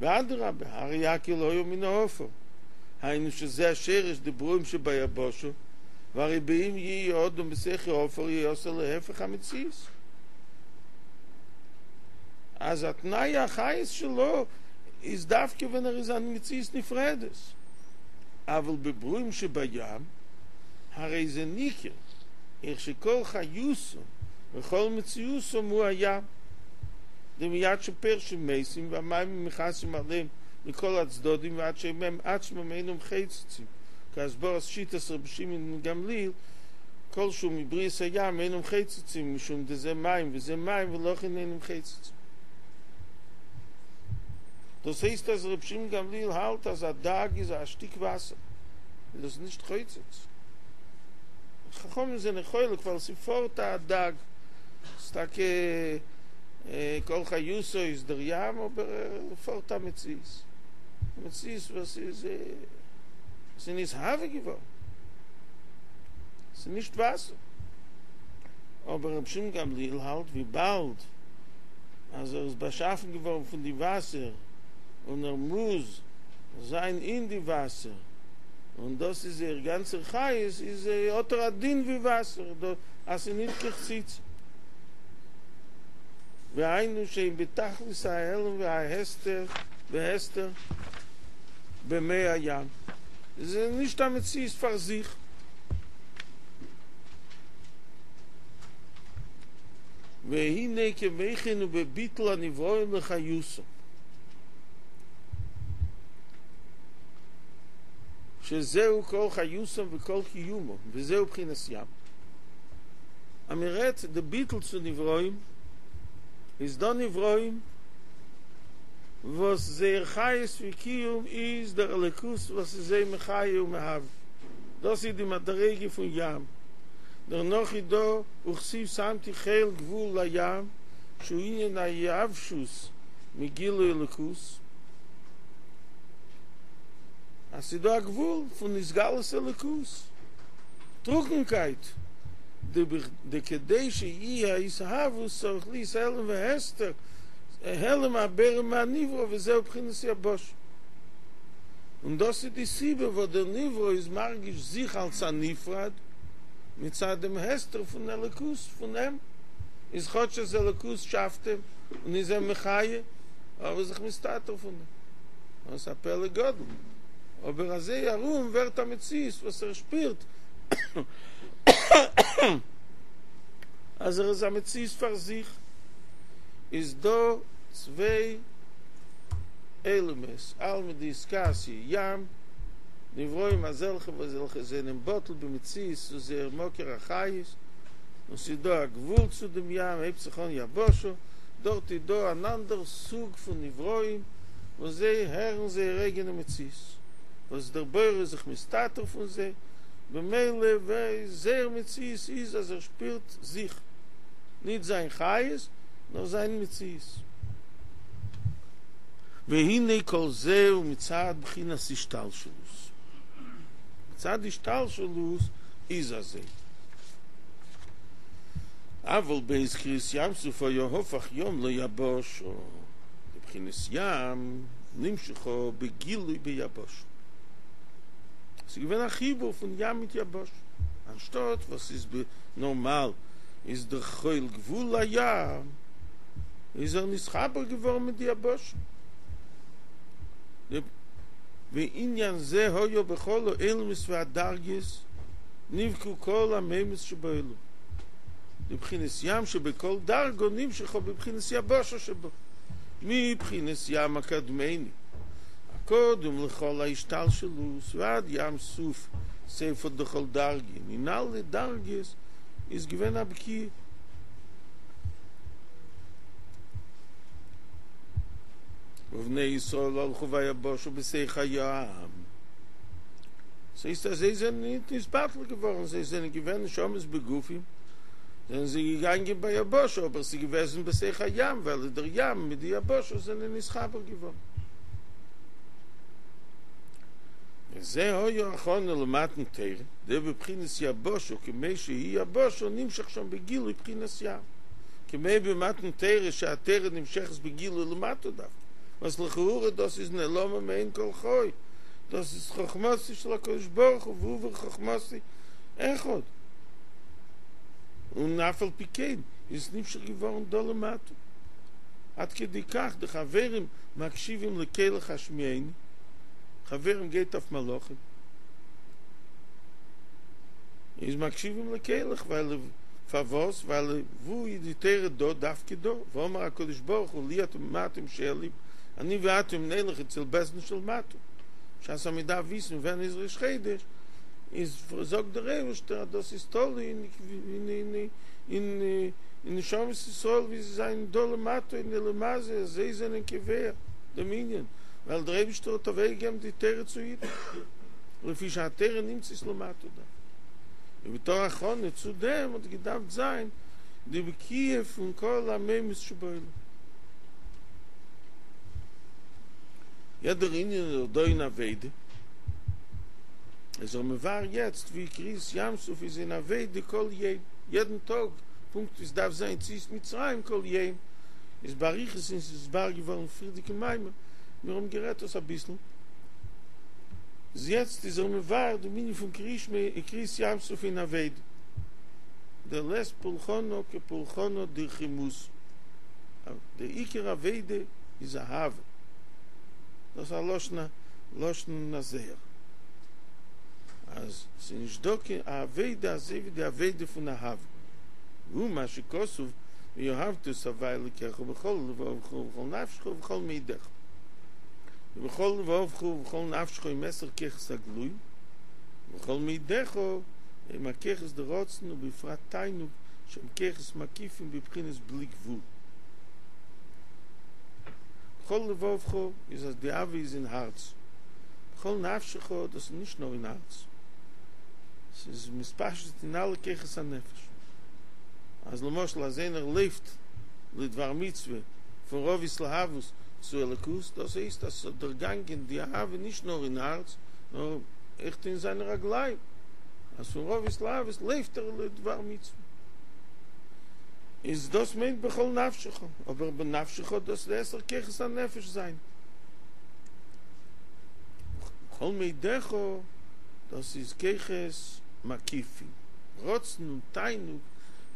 ואדרבה הרי הכל היו מן העפר היינו שזה השרש דברואים שביבשה והרי באם יהיה אדם בתוך העפר יעשה להפך המציאות אז התנאי החיות שלו איז דווקא ווען ער איז א מציאות נפרדת. אבל בברואים שבים, הרי זה ניכר, איך שכל חיותם וכל מציאותם הוא הים. דמיד שפרשו מתים והמים מכסים עליהם מכל הצדדים ועד שהם עצמם אינם חוצצים. כהסברת שיטת רבי שמעון גמליאל, כל שהוא מבריאת הים אינם חוצצים משום דזה מים וזה מים ולכן אינם חוצצים. דאס הייסט אז ר' שמעון גמליאל האלט אז א דג איז א שטיק וואסער, איז דאס נישט חוצץ. חכמים זענען חולק ווייל ס'איז פארט א דג, ס'איז טאקע כל חיותו איז דער ים אבער פארט א מציאות, א מציאות וואס איז ס'איז נתהווה געווארן, ס'איז נישט וואסער. אבער ר' שמעון גמליאל האלט וויבאלד אז ער איז באשאפן געווארן פון די וואסער און ער מוז זיין אין די וואסער און דאס איז זייער גאנצער חיות איז האט ער א דין ווי וואסער אז ס'איז ניט קיין חציצה והיינו שהם בתכלית ההעלם וההסתר והסתר במי הים איז נישט א מציאות פאר זיך. והנה כמו כן הוא בביטול הנבראים לחיותם, שזהו כל חיותם וכל קיומם, וזהו בחינת ים. אז מען רעדט די ביטול צו נבראים, איז דא נבראים וואס זייער חיות וקיום איז דער אלוקות וואס איז זיי מחיה ומהווה, דאס איז די מדריגה פון ים. דערנאך איז דא וכתיב שמתי חיל גבול לים שהוא ענין היבשות מגילוי אלוקות, אז ס'איז דא א גבול פון התגלות אלוקות, טרוקנקייט, דכדי שיהיה ההתהוות צריך להיות העלם והסתר, העלם הבורא מהנברא וזהו בחינת יבשה. און דאס איז די סיבה וואס דער נברא איז מרגיש זיך אלס א נפרד מצד דעם הסתר פון אלוקות פון אים, איז כאטש אז אלוקות שאפט אים און איז אים מחיה, אבער איז זיך מסתתר פון דעם. דאס איז א פלא גדול. אבער אזוי ארום ווערט א מציאות וואס ער שפירט אז ער איז א מציאות פאר זיך. איז דא צוויי עולמות, עלמא דאתכסיא ים, נבראים אזעלכע וואס וועלכע זענען בטל במציאות צו זייער מקור החיות, און ס'איז דא א גבול צו דעם ים, הייבט זיך אן יבשה, דארט איז דא אן אנדער סוג פון נבראים וואס זיי הערן זייער אייגענע מציאות, וואס דער בורא איז זיך מסתתר פון זיי, במילא זייער מציאות איז אז ער שפירט זיך, ניט זיין חיות, נאר זיין מציאות. והנה כל זה הוא מצד בחינת השתלשלות. מצד השתלשלות איז אזוי. אבל בעת קריעת ים סוף היה הפך ים ליבשה, דבחינת ים נמשכה בגילוי ביבשה. ס'איז געווען א חיבור פון ים מיט יבשה. אנשטאט וואס איז נארמאל איז דער חול גבול לים, איז ער נתחבר געווארן מיט די יבשה. ועניין זה היה בכל העולמות והדרגות נבקעו כל המימות שבעולם, דבחינת ים שבכל דרגא נמשכה בבחינת יבשה שבו, מבחינת ים הקדמוני הקודם לכל ההשתלשלות ועד ים סוף סיפא דכל דרגין, אין אלע דרגות איז געווען א בקיעה. ובני ישראל הלכו ביבשה בתוך הים. ס'הייסט אז זיי זענען ניט נתבטל געווארן, זיי זענען געווען נשמות בגופים, זענען זיי געגאנגען ביבשה, אבער ס'איז געוועזן בתוך הים, ווייל דער ים מיט די יבשה זענען נתחבר געווארן. וזה היה הכנה למתן תורה, דבבחינת יבשה כמו שהיא יבשה נמשך שם בגילוי בחינת ים, כמו במתן תורה שהתורה נמשכת בגילוי למטה דווקא, וואס לכאורה דאס איז נעלמה מעין כל חי, דאס איז חכמתו של הקדוש ברוך הוא והוא וחכמתו אחד, און אף על פי כן איז עס נמשך געווארן דא למטה, עד כדי כך די חברים מקשיבים לקולך השמיעני, חברים גייט אויף מלאכים, איז מקשיבים לקולך, ווייל פארוואס? ווייל וואו איז די תורה דא? דווקא דא, ואמר הקדוש ברוך הוא לי אתם מה אתם שואלים, אני ואתם נלך אצל בית דין של מטה, בשעת אז מען דארף וויסן ווען איז ראש חודש, איז זאגט דער אייבערשטער אז דאס איז תלוי אין אין נשמות ישראל ווי זיי זענען דא למטה אין עולם הזה, זיי זענען קובע דעם ענין, ווייל דער אייבערשטער האט אוועקגעגעבן די תורה צו אידן, לפי שהתורה נמצאת למטה דווקא. און בתור הכנה צו דעם האט געדארפט זיין די בקיעה פון כל המימות שבעולם. יעדער ענין איז דא אין עבודה, איז ער מבאר יעצט ווי קריעת ים סוף איז אין עבודה כל יום, יעדן טאג, פונקט ווי ס'דארף זיין יציאת מצרים כל יום, איז באריכות און ס'איז נתבאר געווארן פריערדיגן מאמר, מיר האבן גערעדט דאס אביסל, איז יעצט איז ער מבאר דעם ענין פון קריעת ים סוף אין עבודה, דלית פולחנא כפולחנא דרחימותא, דער עיקר עבודה איז אהבה, דאס איז א לשון לשון הזהר, אז ס'איז נישט דא קיין עבודה אזוי ווי די עבודה פון אהבה, והוא מה שכתוב ואהבת את הוי' אלוקיך בכל לבבך ובכל נפשך ובכל מאודך. ובכל לבבך ובכל נפשך הם עשר כוחות הגלויים, ובכל מאודך הם הכוחות דרצון ובפרט תענוג שהם כוחות מקיפים בבחינת בלי גבול. בכל לבבך איז אז די אהבה איז אין הארץ, בכל נפשך דאס איז נישט נאר אין הארץ, ס'איז מתפשט אין אלע כוחות הנפש, אז למשל אז איינער לויפט לדבר מצוה פון רוב התלהבות צו אלוקות, דאס הייסט אז ס'האט דערגאנגען די אהבה נישט נאר אין הארץ, נאר אויכעט אין זיינע רגליים, אז פון רוב התלהבות לויפט ער לדבר מצוה. איז דאס מיינט בכל נפשך, אבער בנפשך דאס די עשר כוחות הנפש זיין. בכל מאדך דאס איז כוחות מקיפים, רצון און תענוג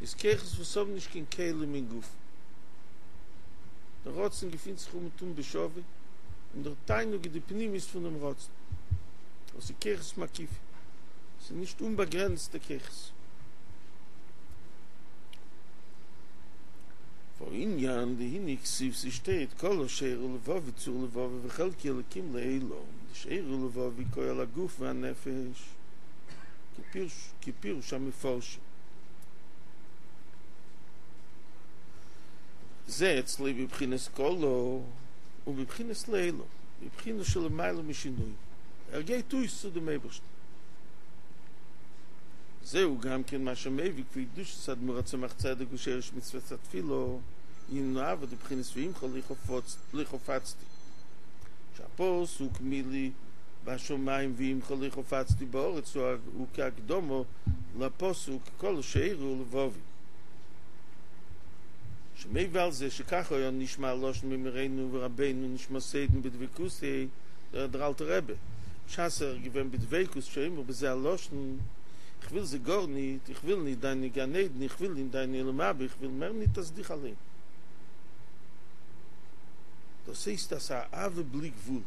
איז כוחות וואס האבן נישט קיין כלים אין גוף. דער רצון געפינט זיך אומעטום בשווה, און דער תענוג איז די פנימיות פונעם רצון. דאס איז כוחות מקיפים, ס'איז נישט אומבאגרעניצטע כוחות. והענין דהנה כתיב ס'שטייט כלה שאר לבבי צור לבבי וחלקי אלקים לעולם דשאר לבבי כולל הגוף והנפש כפירוש המפרשים זה אצלו בבחינת כלה ובבחינת לעולם בבחינה שלמעלה משינוי ער גייט אויס צו דעם אייבערשטן. זהו גם כן מה שמביא קדושת אדמו"ר הצמח צדק ושרש מצוות התפילה ענין האהבה דבחינת ועמך לא חפצתי שהפסוק מי לי בשמים ועמך לא חפצתי בארץ הוא כהקדמה לפסוק כלה שאר לבבי שמביא על זה שכך היה נשמע הלשון ממורנו ורבינו נשמתו עדן בדבקותו דער אלטער רבי בשעת ער איז געווען בדבקות שאומר בזה הלשון איך וויל זיי גארניט, איך וויל ניט דיינע גן עדן, איך וויל ניט דיינע עולם הבא, איך וויל מער ניט אז דיך אליין. דאס הייסט אז א אהבה בלי גבול.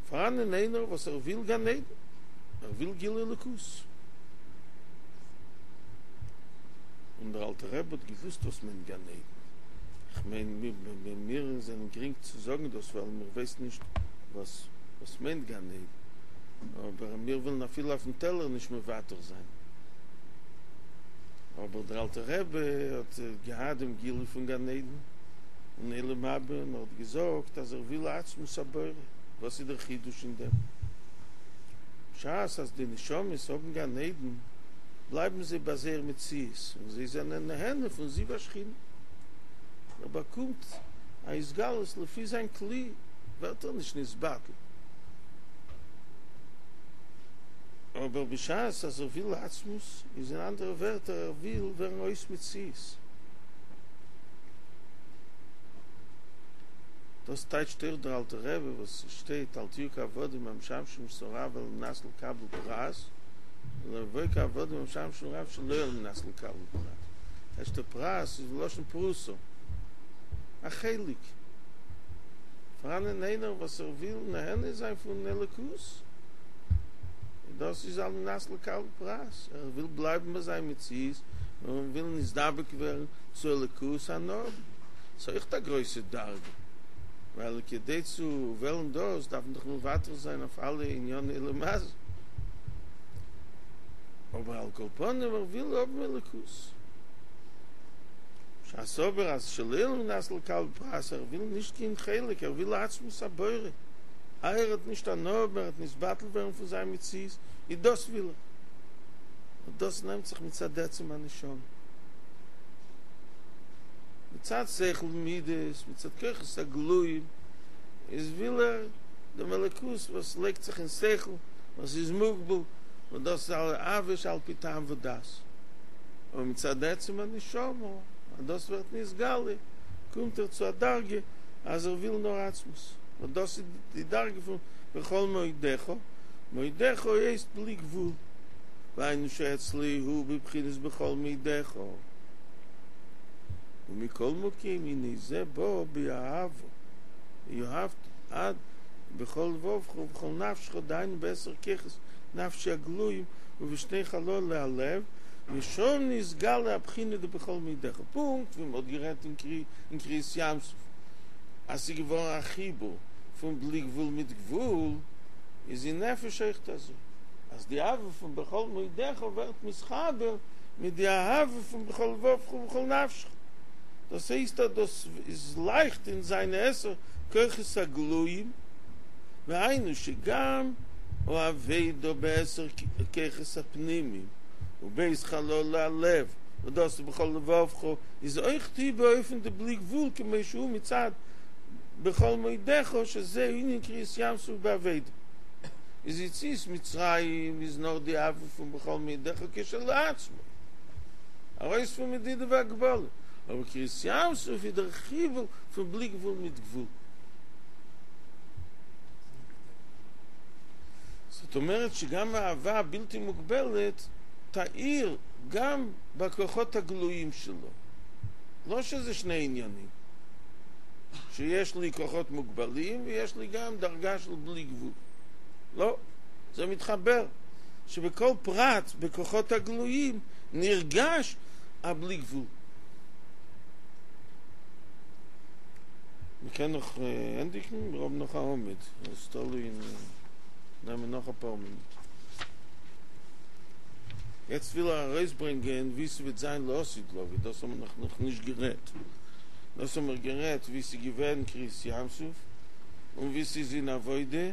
פאראנען איינער וואס ער וויל גן עדן, ער וויל גילוי אלוקות. און דער אלטער רבי האט געוואוסט וואס מיינט גן עדן. איך מיין מיר זענען גרינג צו זאגן דאס ווייל מיר ווייסן נישט וואס וואס מיינט גן עדן, אבער מיר ווילן אפילו אויפן טעלער נישט מוותר זיין. אבער דער אלטער רבי האט געהאט דעם גילוי פון גן עדן און עולם הבא און ער האט געזאגט אז ער וויל עצמות הבורא. וואס איז דער חידוש אין דעם? בשעת אז די נשמות האבן גן עדן בלייבן זיי ביי זייער מציאות און זיי זענען נהנה פון זיו השכינה. ער באקומט א התגלות לפי זיין כלי, ווערט ער נישט נתבטל. אבער בשעת אז ער וויל עצמות, איז אין אנדערע ווערטער ער וויל ווערן אויס מציאות. דאס טייטשט אויך דער אלטער רבי וואס שטייט אל תהיו כעבדים המשמשים את הרב על מנת לקבל פרס, אלא הוו כעבדים המשמשים רב שלא על מנת לקבל פרס. טייטשט ער פרס איז מלשון פרוסה, א חלק. פאראנען איינער וואס ער וויל נהנה זיין פון אלוקות, און דאס איז על מנת לקבל פרס, ער וויל בלייבן ביי זיין מציאות און וויל נתדבק ווערן צו אלוקות הנאה האבן. ס'איז אויכט א גרויסע דרגה, ווייל כדי צו וועלן דאס דארף מען דאך מוותר זיין אויף אלע ענייני עולם הזה, אבער על כל פנים ער וויל האבן אלוקות. בשעת אבער אז שלא על מנת לקבל פרס, ער וויל נישט קיין חלק, ער וויל עצמות הבורא, איי ער וועט נישט הנאה האבן, ער וועט נתבטל ווערן פון זיין מציאות, איז דאס וויל ער, און דאס נעמט זיך מצד עצם הנשמה, מצד שכל ומידות, מצד כוחות הגלויים, איז וויל ער דעם אלוקות וואס לייגט זיך אין שכל, וואס איז מוגבל, און דאס איז אהבה שעל פי טעם ודעת. אבער מצד עצם הנשמה, אז דאס ווערט נתגלה, קומט ער צו א דרגה אז ער וויל נאר עצמות, און דאס איז די דרגה פון בכל מאודך, מאודך הייסט בלי גבול, והיינו שאצלו הוא בבחינת בכל מאודך, ומכל מקום הנה זה בא באהבה, ואהבת עד בכל לבבך ובכל נפשך, דהיינו בעשר כוחות נפשי הגלויים ובשני חללי הלב, ושם נתגלה הבחינה דבכל מאודך, פונקט ווי מ'האט גערעדט אין קריעת ים סוף אז ס'איז געווארן א חיבור פון בלי גבול מיט גבול, איז אין נפש אויכט אזוי, אז די אהבה פון בכל מאודך ווערט מתחבר מיט די אהבה פון בכל לבבך ובכל נפשך, דאס הייסט אז דאס איז לייכט אין זיינע עשר כוחות הגלויים, והיינו שגם העבודה בעשר כוחות הפנימיים וב' חללי הלב, און דאס איז בכל לבבך, איז אויך היא באופן דבלי גבול כמו שהוא מצד בכל מאודך שזה ענין קריעת ים סוף בעבודה. איז יציאת מצרים איז נאר די אהבה פון בכל מאדך כשלעצמו, ארויס פון מדידה והגבלה, אבער קריעת ים סוף איז דער חיבור פון בלי גבול מיט גבול. זאת אומרת שגם האהבה הבלתי מוגבלת תאיר גם בכוחות הגלויים שלו. לא שזה שני עניינים, שיש לי כוחות מוגבלים ויש לי גם דרגה של בלי גבול. לא, זה מתחבר, שבכל פרט בכוחות הגלויים נרגש הבלי גבול. מ'קען נאך ענדיגן? מיר האבן נאך א עמוד, עס תלוי אין נעמען נאך אפאר מינוט. יעצט וויל ער ארויסברענגען ווי ס'וועט זיין לעתיד לבוא, דאס האבן מיר נאך נישט גערעדט. דאס האבן מיר גערעדט ווי ס'איז געווען קריעת ים סוף, און ווי ס'איז אין עבודה,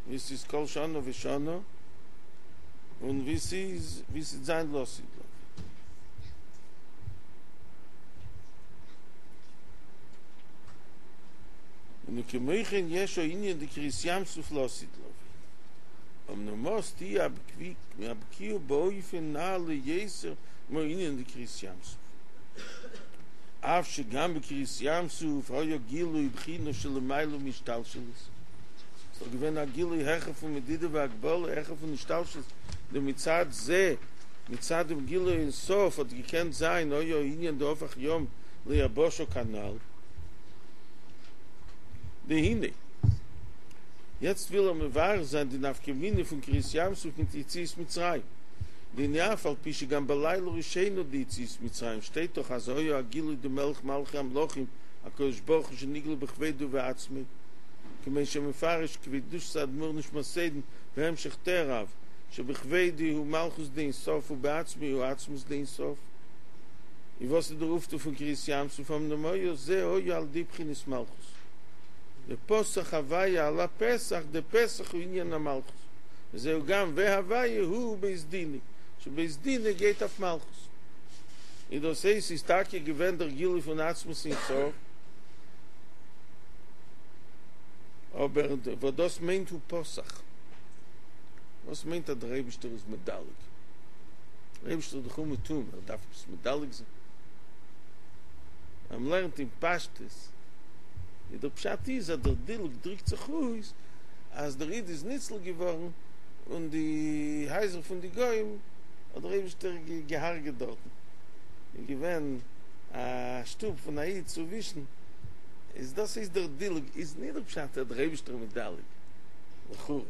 ווי ס'איז כל שנה ושנה, און ווי ס'איז ווי ס'וועט זיין לעתיד לבוא. און וכמו כן יש הענין דקריעת ים סוף לעתיד לבוא. אמנם אז תהיה הבקיעה באופן נעלה יותר מהענין דקריעת ים סוף. אף שגם בקריעת ים סוף היה גילוי בחינה שלמעלה מהשתלשלות. ס'איז דאך געווען א גילוי העכער פון מדידה והגבלה, העכער פון השתלשלות, דמצד זה, מצד דעם גילוי אין סוף האט געקענט זיין היה הענין דהפך ים ליבשה כנ"ל. והנה. יעצט וויל ער מבאר זיין די נפקא מינה פון קריעת ים סוף מיט יציאת מצרים. דהנה אף על פי שגם בלילה ראשונה דיציאת מצרים שטייט דאך אז היה הגילוי דמלך מלכי המלכים הקדוש ברוך הוא שנגלה בכבודו ובעצמו כמו שמפרש קדושת אדמו"ר נשמתו עדן בהמשך תרב שבכבודו הוא מלכות דאין סוף ובעצמו הוא עצמות דאין סוף און וואס איז דער אויפטו פון קריעת ים סוף אמנם היה זה היה על ידי בחינת מלכות ופסח הוויה על הפתח דפתח הוא ענין המלכות וזהו גם והוויה הוא בית דינו שבית דינו גייט אויף מלכות און דאס הייסט ס'איז טאקע געווען דער גילוי פון עצמות אין סוף אבער וואס דאס מיינט הוא פתח וואס מיינט אז דער אייבישטער איז מדלג דער אייבישטער איז דאך אומעטום ער דארף עפעס מדלג זיין אז מ'לערנט אין פשטות איז דער פשט איז אז דער דילוג דריקט זיך אויס אז דער איד איז ניצל געווארן און די הייזער פון די גוים האט דער אייבישטער געהארגעט דארטן, איז געווען א שטוב פון א איד צווישן, איז דאס איז דער דילוג, איז נישט דער פשט אז דער אייבישטער מדלג, לכאורה,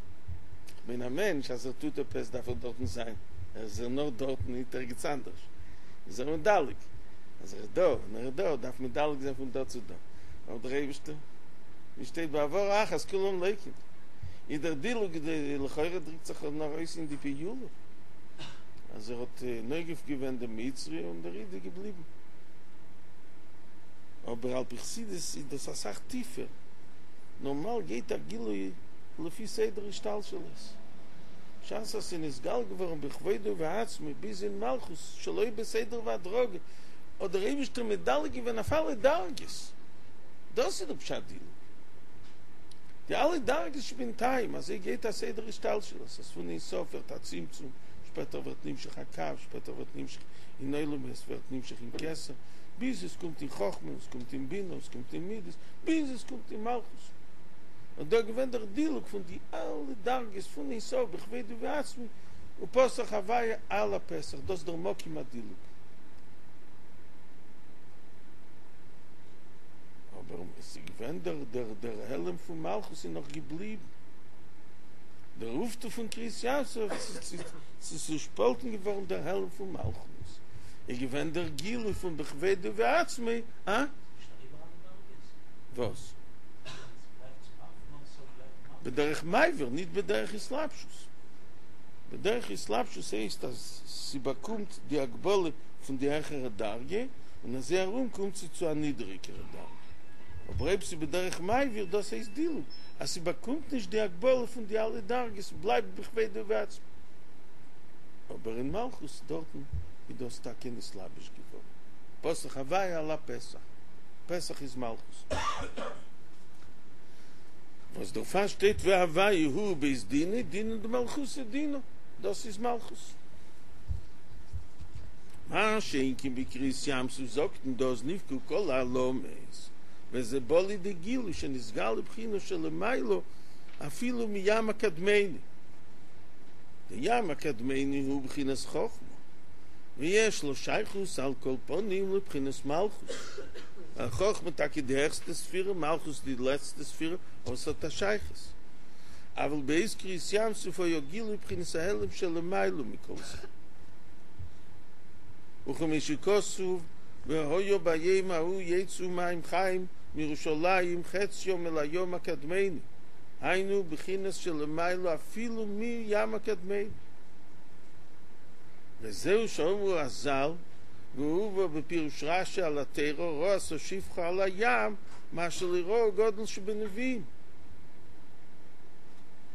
כ'מיין א מענטש אז ער טוט עפעס דארף ער דארטן זיין, ער איז נאר דארטן ניט ערגעץ אנדערש, איז ער מדלג, אז ער איז דא און ער איז דא דארף מדלג זיין פון דא צו דא, אבער דער אייבישטער, ווי שטייט בהעברה אחת כולם לוקים. איז דער דילוג לכאורה דריקט זיך נאר אויס אין די פעולה אז ער האט נוגף געווען דעם מצרי און דער איד איז געבליבן. אבער על פי חסידות איז דאס אסאך טיפער, נארמאל גייט א גילוי לפי סדר השתלשלות, בשעת אז ס'איז נתגלה געווארן בכבודו ובעצמו ביז אין מלכות שלא בסדר והדרגה, האט דער אייבישטער מדלג געווען אויף אלע דרגות, דאס איז דער פשט דילוג. די אלע דרגות שבינתיים, אזוי גייט א סדר השתלשלות, אז פון אין סוף ווערט א צמצום, שפעטער ווערט נמשך א קו, שפעטער ווערט נמשך אין עולמות, ווערט נמשך אין כתר, ביז עס קומט אין חכמה, עס קומט אין בינה, עס קומט אין מידות, ביז עס קומט אין מלכות. און דא געווען דער דילוג פון די אלע דרגות פון אין סוף בכבודו ובעצמו, ופסח הוויה על הפתח, דאס דער מקום הדילוג. אבער עס איז געווען דער דער דער העלם פון מלכות איז נאך געבליבן, דער אויפטו פון קריעת ים סוף, ס'איז צושפאלטן געווארן דער העלם פון מלכות, איז געווען דער גילוי פון בכבודו ובעצמו, אה? נישט אריבער אלע דרגות? וואס? עס בלייבט צום אויף און סוף בלייבט מלכות. בדרך מעבר, ניט בדרך התלבשות. בדרך התלבשות הייסט אז ס'באקומט די הגבלה פון די העכערע דרגה, און אזוי ארום קומט זי צו א נידעריגערע דרגה. אבער אויב ס'איז בדרך מעביר, דאס הייסט דילוג, אז ס'באקומט נישט די הגבלה פון די אלע דרגות, ס'בלייבט בכבודו ובעצמו. אבער אין מלכות דארטן איז דאס טאקע נתלבש געווארן. פסח הוויה על הפתח, פתח איז מלכות. וואס דערפאר שטייט והוי' הוא בית דינו, דינא דמלכותא דינא, דאס איז מלכות. מה שאין כן בקריעת ים סוף זאגט מען דא אז נבקעו כל העלמות, וזה בא לידי גילוי שנתגלה בחינה שלמעלה אפילו מים הקדמני. די ים הקדמני הוא בחינת חכמה, ויש לו שייכות על כל פנים לבחינת מלכות. ווייל חכמה טאקע די העכסטע ספירה, מלכות די לעצטע ספירה, אבער ס'האט א שייכות. אבל בעת קריעת ים סוף היה גילוי בחינת ההעלם שלמעלה מכל זה. וכמו שכתוב והיה ביום ההוא יצאו מים חיים מירושלים חציים אל הים הקדמני, היינו בחינת שלמעלה אפילו מים הקדמני. וזהו שאמרו רז"ל, והובא בפירוש רש"י על התורה, ראתה שפחה על הים, מה שלא ראו גדול שבנביאים.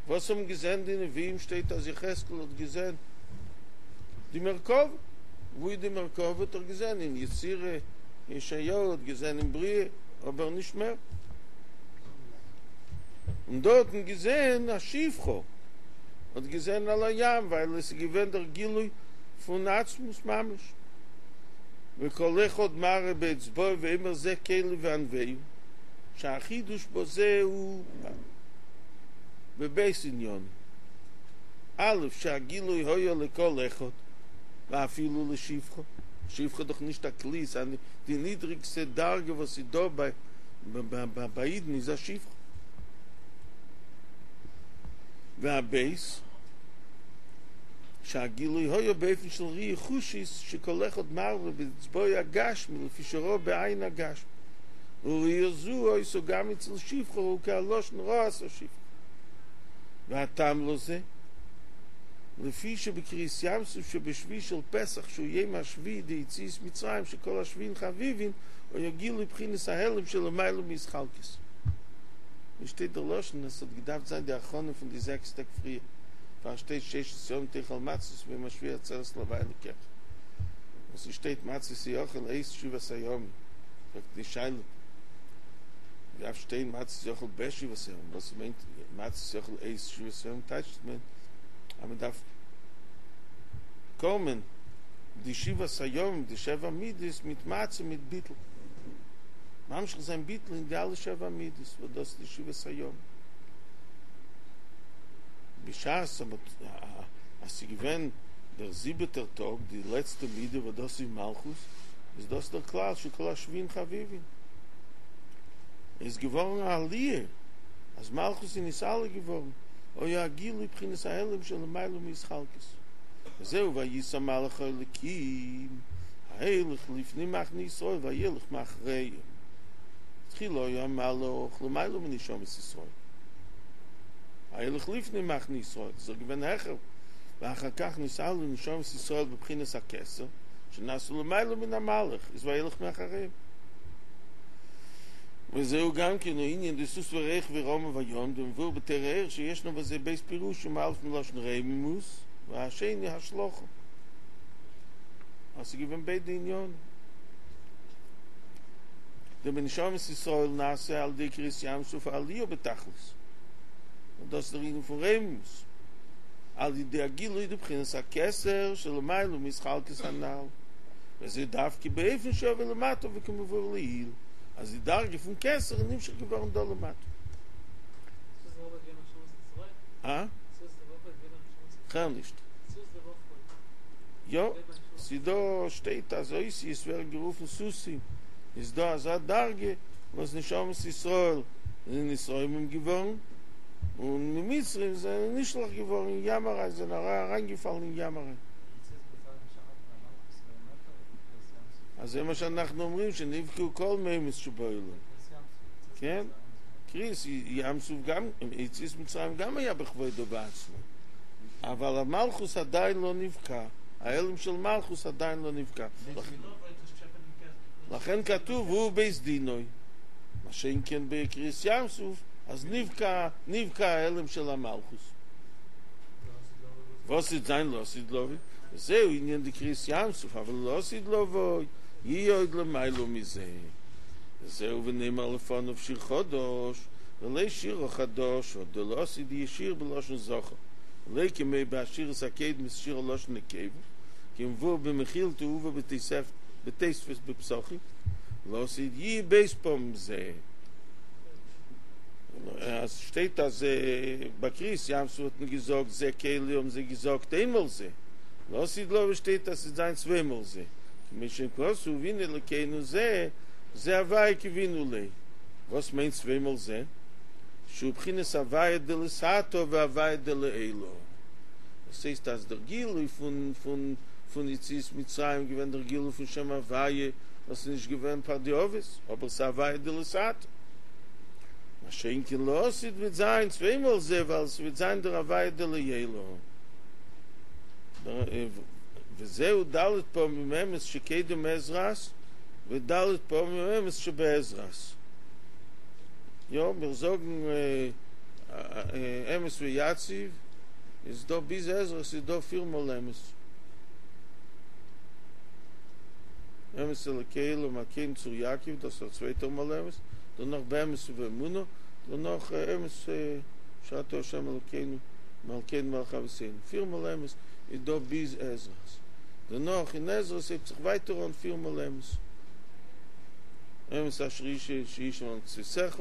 וואס האבן געזען די נביאים? שטייט אז יחזקאל האט געזען די מרכבה. וואו איז די מרכבה? האט ער געזען אין יצירה, ישעיהו האט געזען אין בריאה, אבער נישט מער. און דא האט מען געזען א שפחה האט געזען על הים, ווייל עס איז געווען דער גילוי פון עצמות ממש. וכל אחד מראה באצבעו ואומר זה קלי ואנוהו, שהחידוש בזה הוא בב' ענינים. א', שהגילוי היה לכל אחד, ואפילו לשפחה. שפחה דאך נישט א כלי, ס'איז די נידריגסטע דרגה וואס איז דא ביי ביי אידן איז א שפחה. והב', שהגילוי היה באופן של ראי' חושית שכל אחד מראה באצבעו הגשמי לפי שראה בעין הגשמי. וראי' זו היתה גם אצל שפחה הוא כהלשון ראתה שפחה. והטעם לזה, לפי שבקריעת ים סוף שבשביעי של פסח שהוא יום השביעי דיציאת מצרים שכל השביעין חביבין היה גילוי בחינת ההעלם שלמעלה מהתחלקות. ווי שטייט דער לשון עס האט געדארפט זיין די הכנה פון די זעקס טעג פריער פאר שטייט ששת ימים תאכל מצות וביום השביעי עצרת להוי' אלקיך און ס'שטייט מצות יאכל את שבעת הימים פרעגט די שאלה דארף שטיין מצות יאכל בשבעת הימים וואס מיינט מצות יאכל את שבעת הימים טייטשט מען אז מען דארף קומען די שבעת הימים די שבע מידות מיט מצה מיט ביטול ממשיך זיין ביטול אין די אלע שבע מידות וואס דאס איז די שבעת הימים בשעת אז ס'איז געווען דער זיבעטער טאג די לעצטע מידה וואס דאס איז מלכות איז דאס דער כלל שכל השביעין חביבין איז געווארן א עליה אז מלכות איז נתעלה געווארן היה הגילוי בחינת ההעלם שלמעלה מהתחלקות וזהו ויסע מלאך האלקים ההולך לפני מחנה ישראל וילך מאחריהם תחילה היה המלאך למעלה מנשמות ישראל ההולך לפני מחנה ישראל איז ער געווען העכער ואחר כך נתעלו נשמות ישראל בבחינת הכתר שנעשו למעלה מן המלאך איז וילך מאחריהם וזהו גם כן הענין דסוס ורוכבו רמו בים דמבואר בתורה אור שישנו בזה ב' פירושים א' מלשון רוממות והשני השלכה אז ס'איז געווען ביידע עניינים דבנשמות ישראל נעשה על ידי קריעת ים סוף העליה בתכלית און דאס איז דער ענין פון רוממות על ידי הגילוי דבחינת הכתר שלמעלה מהתחלקות הנ"ל וזה דווקא באופן שיבוא למטה וכמבואר לעיל אז די דרגה פון כתר איז נמשך געווארן דא למטה. אה? כ'הער נישט. יא, ס'דא שטייט אז אותיות ווערן גערופן סוסים, איז דא אזא דרגה וואס נשמות ישראל זענען נתרומם געווארן, און די מצרים זענען נשלך געווארן אין ים אריין, זענען אריינגעפאלן אין ים אריין. אז זה מה שאנחנו אומרים שנבקעו כל מימות שבעולם. כן? קריעת ים סוף גם, יציאת מצרים גם היה בכבודו ובעצמו. אבל המלכות עדיין לא נבקע, ההעלם של מלכות עדיין לא נבקע. לכן כתוב הוא בית דינו. מה שאין כן בקריעת ים סוף, אז נבקע, נבקע ההעלם של המלכות. וואס וועט זיין לעתיד לבוא? וזהו ענין דקריעת ים סוף, אבל לעתיד לבוא יהיה עוד למעלה מזה. וזהו ונאמר לפניו שיר חדש, ולא שירה חדשה דלעתיד יהא שיר בלשון זכר ולא כמו בשירות הקודמות שירה לשון נקבה כמבואר במכילתא והובא בתוספות בפסחים לעתיד יהא ב' פעמים זה אז שטייט אז ביי קריעת ים סוף האט מען געזאגט זה קלי האבן זיי געזאגט איינמאל זה לעתיד לבוא שטייט אז ס'וועט זיין צוויי מאל זה כמו שכתוב הנה אלקינו זה זה הוויה קוינו לו וואס מיינט צוויי מאל זה? שהוא בחינת הוויה דלתתא והוויה דלעילא דאס הייסט אז דער גילוי פון פון פון יציאת מצרים געווען דער גילוי פון שם הוויה וואס איז נישט געווען פאר די אבות אבער ס'איז הוויה דלתתא מה שאין כן לעתיד וועט זיין צוויי מאל זה ווייל ס'וועט זיין דער הוויה דלעילא וזהו ד' פעמים אמת שקודם עזרת וד' פעמים אמת שבעזרת. יא, מיר זאגן אמת ויציב, איז דא ביז עזרת איז דא פיר מאל אמת. אמת אלוקי עולם הקם צור יעקב, דאס איז א צווייטער מאל אמת, דערנאך באמת ובאמונה, דערנאך אמת שאתה ה' אלוקינו מלכנו מלך אבותינו, פיר מאל אמת איז דא ביז עזרת, דערנאך אין עזרת הייבט זיך ווייטער אן פיר מאל אמת, אמת אשר ישמע למצותיך,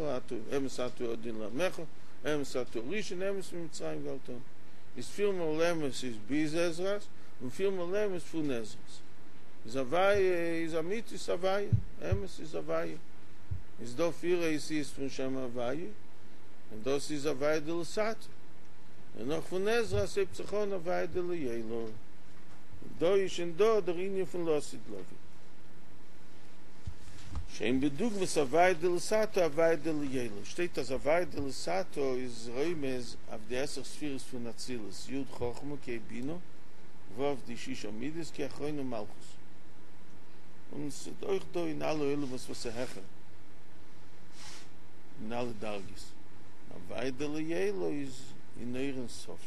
אמת אתה הוא הדין לעמך, אמת אתה הראשון, אמת ממצרים גאלתנו, איז פיר מאל אמת איז ביז עזרת, און פיר מאל אמת פון עזרת, איז הוויה איז אמיתית הוויה, אמת איז הוויה, איז דא פיר אותיות פון שם הוויה, און דאס איז הוויה דלתתא, דערנאך פון עזרת הייבט זיך אן הוויה דלעילא, און דא איז שוין דא דער ענין פון לעתיד לבוא. שאין בדוגמת הוויה דלתתא הוויה דלעילא, שטייט אז הוויה דלתתא איז רומז אויף די עשר ספירות פון אצילות, י' חכמה ק' בינה, ו' די ששה מידות ק' אחרונה מלכות. און ס'איז אויך דא אין אלע עולמות וואס איז העכער אין אלע דרגות. הוויה דלעילא איז אין אור אין סוף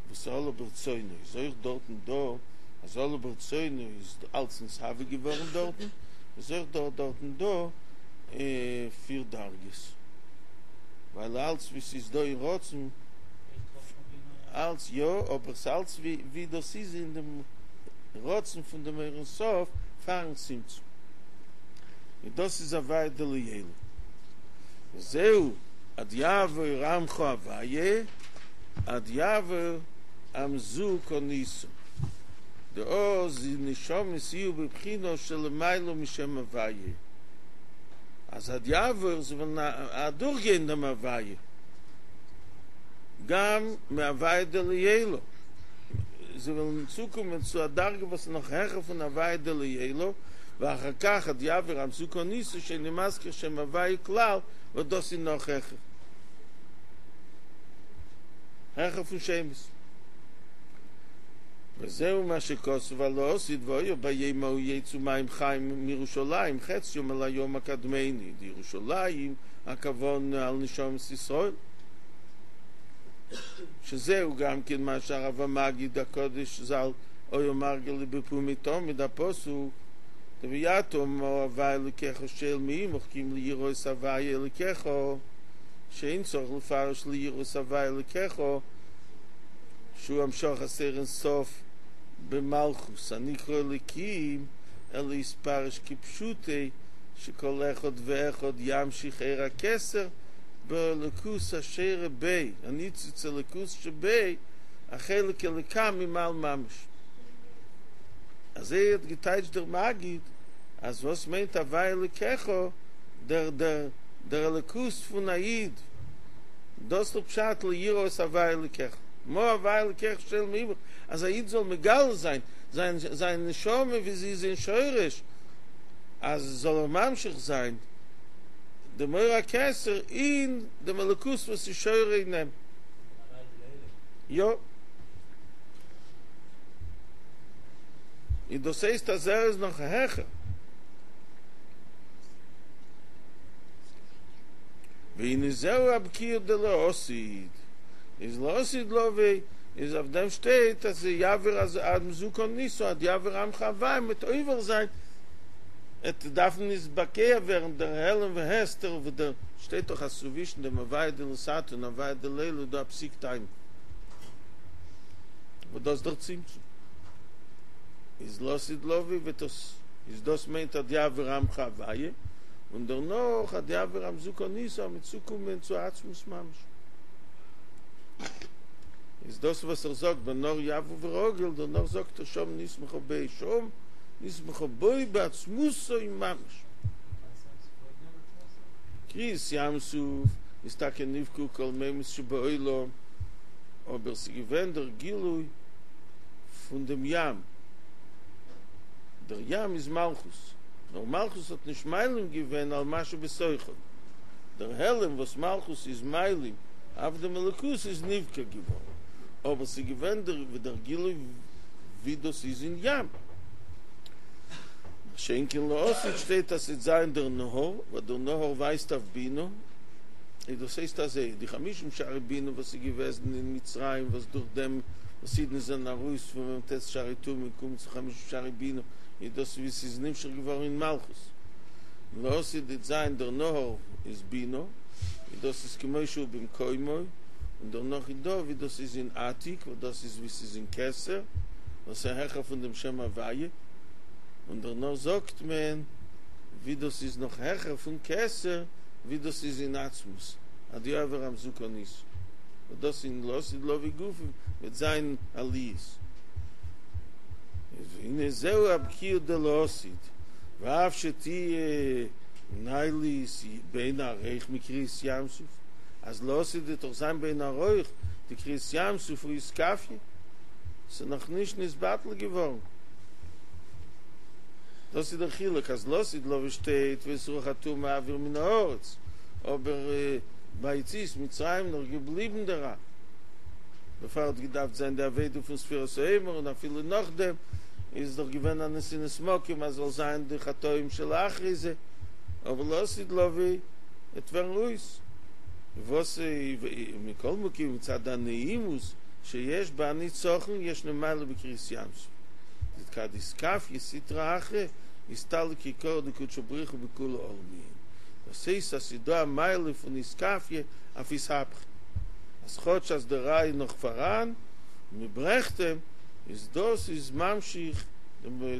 וואס עלה ברצונו איז אויך דארטן דא, אז עלה ברצונו איז אלץ נתהווה געווארן דארטן, איז אויך דא דארטן דא פיר דרגות, ווייל אלץ ווי ס'איז דא אין רצון, אלץ יא, אבער ס'אלץ ווי דאס איז אין דעם רצון פון דעם אור אין סוף פארן צמצום, און דאס איז הוויה דלעילא. וזהו עד יעבור עמך הוויה עד יעבור עם זו קנית, דאז די נשמות יהיו בבחינה שלמעלה משם הוויה, אז עד יעבור זיי וועלן אדורכגיין דעם הוויה, גם מהוויה דלעילא, זיי וועלן צוקומען צו א דרגה וואס איז נאך העכער פון הוויה דלעילא, ואחר כך עד יעבור עם זו קנית שאינו מזכיר שם הוויה כלל, וואס דאס איז נאך העכער. העכער פון שמות. וזהו מה שכתוב על העתיד והיה ביום ההוא יצאו מים חיים מירושלים חציים אל הים הקדמוני, דירושלים הכוונה על נשמות ישראל, שזהו גם כן מה שהרב המגיד הקדוש ז"ל היה מרגיל בפומיה תמיד הפסוק דויתה מה הוי' אלוקיך שואל מעמך כי אם ליראה את הוי' אלוקיך שאין צריך לפרש ליראה את הוי' אלוקיך שהוא המשכת אור אין סוף במלכות הנקרא אלוקים אלא יתפרש כפשוטו שכל אחד ואחד ימשיך אור הכתר באלוקות השורה בו הניצוץ אלוקות שבו החלק אלוקה ממעל ממש. אזוי האט געטייטשט דער מגיד אז וואס מיינט הוי' אלוקיך דער דער דער אלוקות פון א איד דאס איז פשט ליראה את הוי' אלוקיך מה הוי' אלוקיך שואל מעמך אז א איד זאל מגלה זיין זיין זיין נשמה ווי זי איז אין שורש אז זאל ער ממשיך זיין דעם אור הכתר אין דעם אלוקות וואס איז שורה אין אים. יא. און דאס הייסט אז ער איז נאך העכער. והנה זהו הבקיעה דלעתיד, איז לעתיד לבוא, איז אויף דעם שטייט אז יעבור אז עם זו קנית עד יעבור עמך הוי' מ'וועט עובר זיין עט דארפן נתבקע ווערן דער העלם והסתר וואס דער שטייט דאך אז צווישן דעם הוויה דלתתא און הוויה דלעילא איז דא א פסיק טיימא וואס דאס דער צמצום איז לעתיד לבוא וועט דאס איז דאס מיינט עד יעבור עמך הוויה און דערנאך עד יעבור עם זו קנית אז מ'עט צוקומען צו עצמות ממש איז דאס וואס ער זאגט בנהר יעבור ורגיל דערנאך זאגט ער שם נסמכה בו שם נסמכה בו בעצמותו ממש. קריעת ים סוף איז טאקע נבקעו כל מימות שבעולם, אבער ס'איז געווען דער גילוי פון דעם ים, דער ים איז מלכות, נאר מלכות האט נישט מעלים געווען על מה שבתוכו, דער העלם וואס מלכות איז מעלים אויף דעם אלוקות איז נבקע געווארן, אבער ס'איז געווען דער גילוי ווי דאס איז אין ים. מה שאין כן לעתיד שטייט אז ס'וועט זיין דער נהר, וואס דער נהר ווייזט אויף בינה, איז דאס הייסט אזוי, די חמישים שערי בינה וואס איז געוועזן אין מצרים וואס דורך דעם וואס אידן זענען ארויס פון מ"ט שערי טומאה און קומען צו חמישים שערי בינה, איז דאס ווי ס'איז נמשך געווארן אין מלכות. און לעתיד וועט זיין דער נהר איז בינה, איז דאס איז כמו שהוא במקומו, און דערנאך איז דא ווי דאס איז אין עתיק, וואס דאס איז ווי ס'איז אין כתר, וואס איז העכער פון דעם שם הוויה, און דערנאך זאגט מען ווי דאס איז נאך העכער פון כתר, ווי דאס איז אין עצמות, עד יעבור עם זו קנית, וואס דאס אין לעתיד לבוא גופא וועט זיין עליות. והנה זהו הבקיעה דלעתיד, ואף שתהיה נעלית באין ערוך מקריעת ים סוף, אז לעתיד וועט דאך זיין באין ערוך די קריעת ים סוף ואתכפיא, ס'איז נאך נישט נתבטל געווארן. דאס איז דער חילוק אז לעתיד לבוא שטייט ואת רוח הטומאה אעביר מן הארץ, אבער ביי יציאת מצרים נאך געבליבן דער רע, דערפאר האט געדארפט זיין די עבודה פון ספירת העומר און אפילו נאכדעם איז דאך געווען א נתינת מקום אז זאל זיין די חטאים שלאחרי זה, אבער לעתיד לבוא וועט ווערן אויס וואס מכל מקום מצד הנעימות שיש בהניצחון ישנה מעלה בקריעת ים סוף דכד אתכפיא סטרא אחרא אסתלק יקרא דקודשא בריך הוא בכולא עלמין דאס הייסט אז ס'איז דא א מעלה פון אתכפיא אויף אתהפכא אז כאטש אז דער רע איז נאך פאראן און מ'ברעכט אים איז דאס איז ממשיך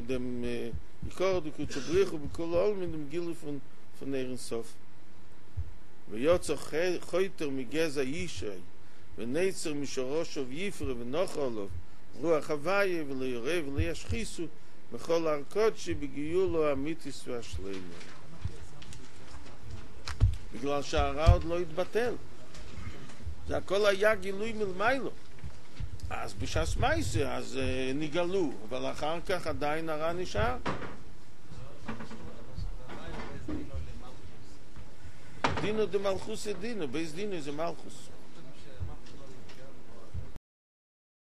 דעם יקרא דקודשא בריך הוא בכולא עלמין דעם גילוי פון פון אור אין סוף ויצא חוטר מגזע ישי ונצר משרשיו יפרה ונחה עליו רוח הוויה ולא ירעו ולא ישחיתו בכל הר קדשי בגאולה האמיתית והשלימה. בגלל שהרע עוד לא התבטל. זה הכל היה גילוי מלמעלה. אז בשעת מעשה אז נגאלו, אבל אחר כך עדיין הרע נשאר. דינא דמלכותא דינא, בית דינא איז מלכות.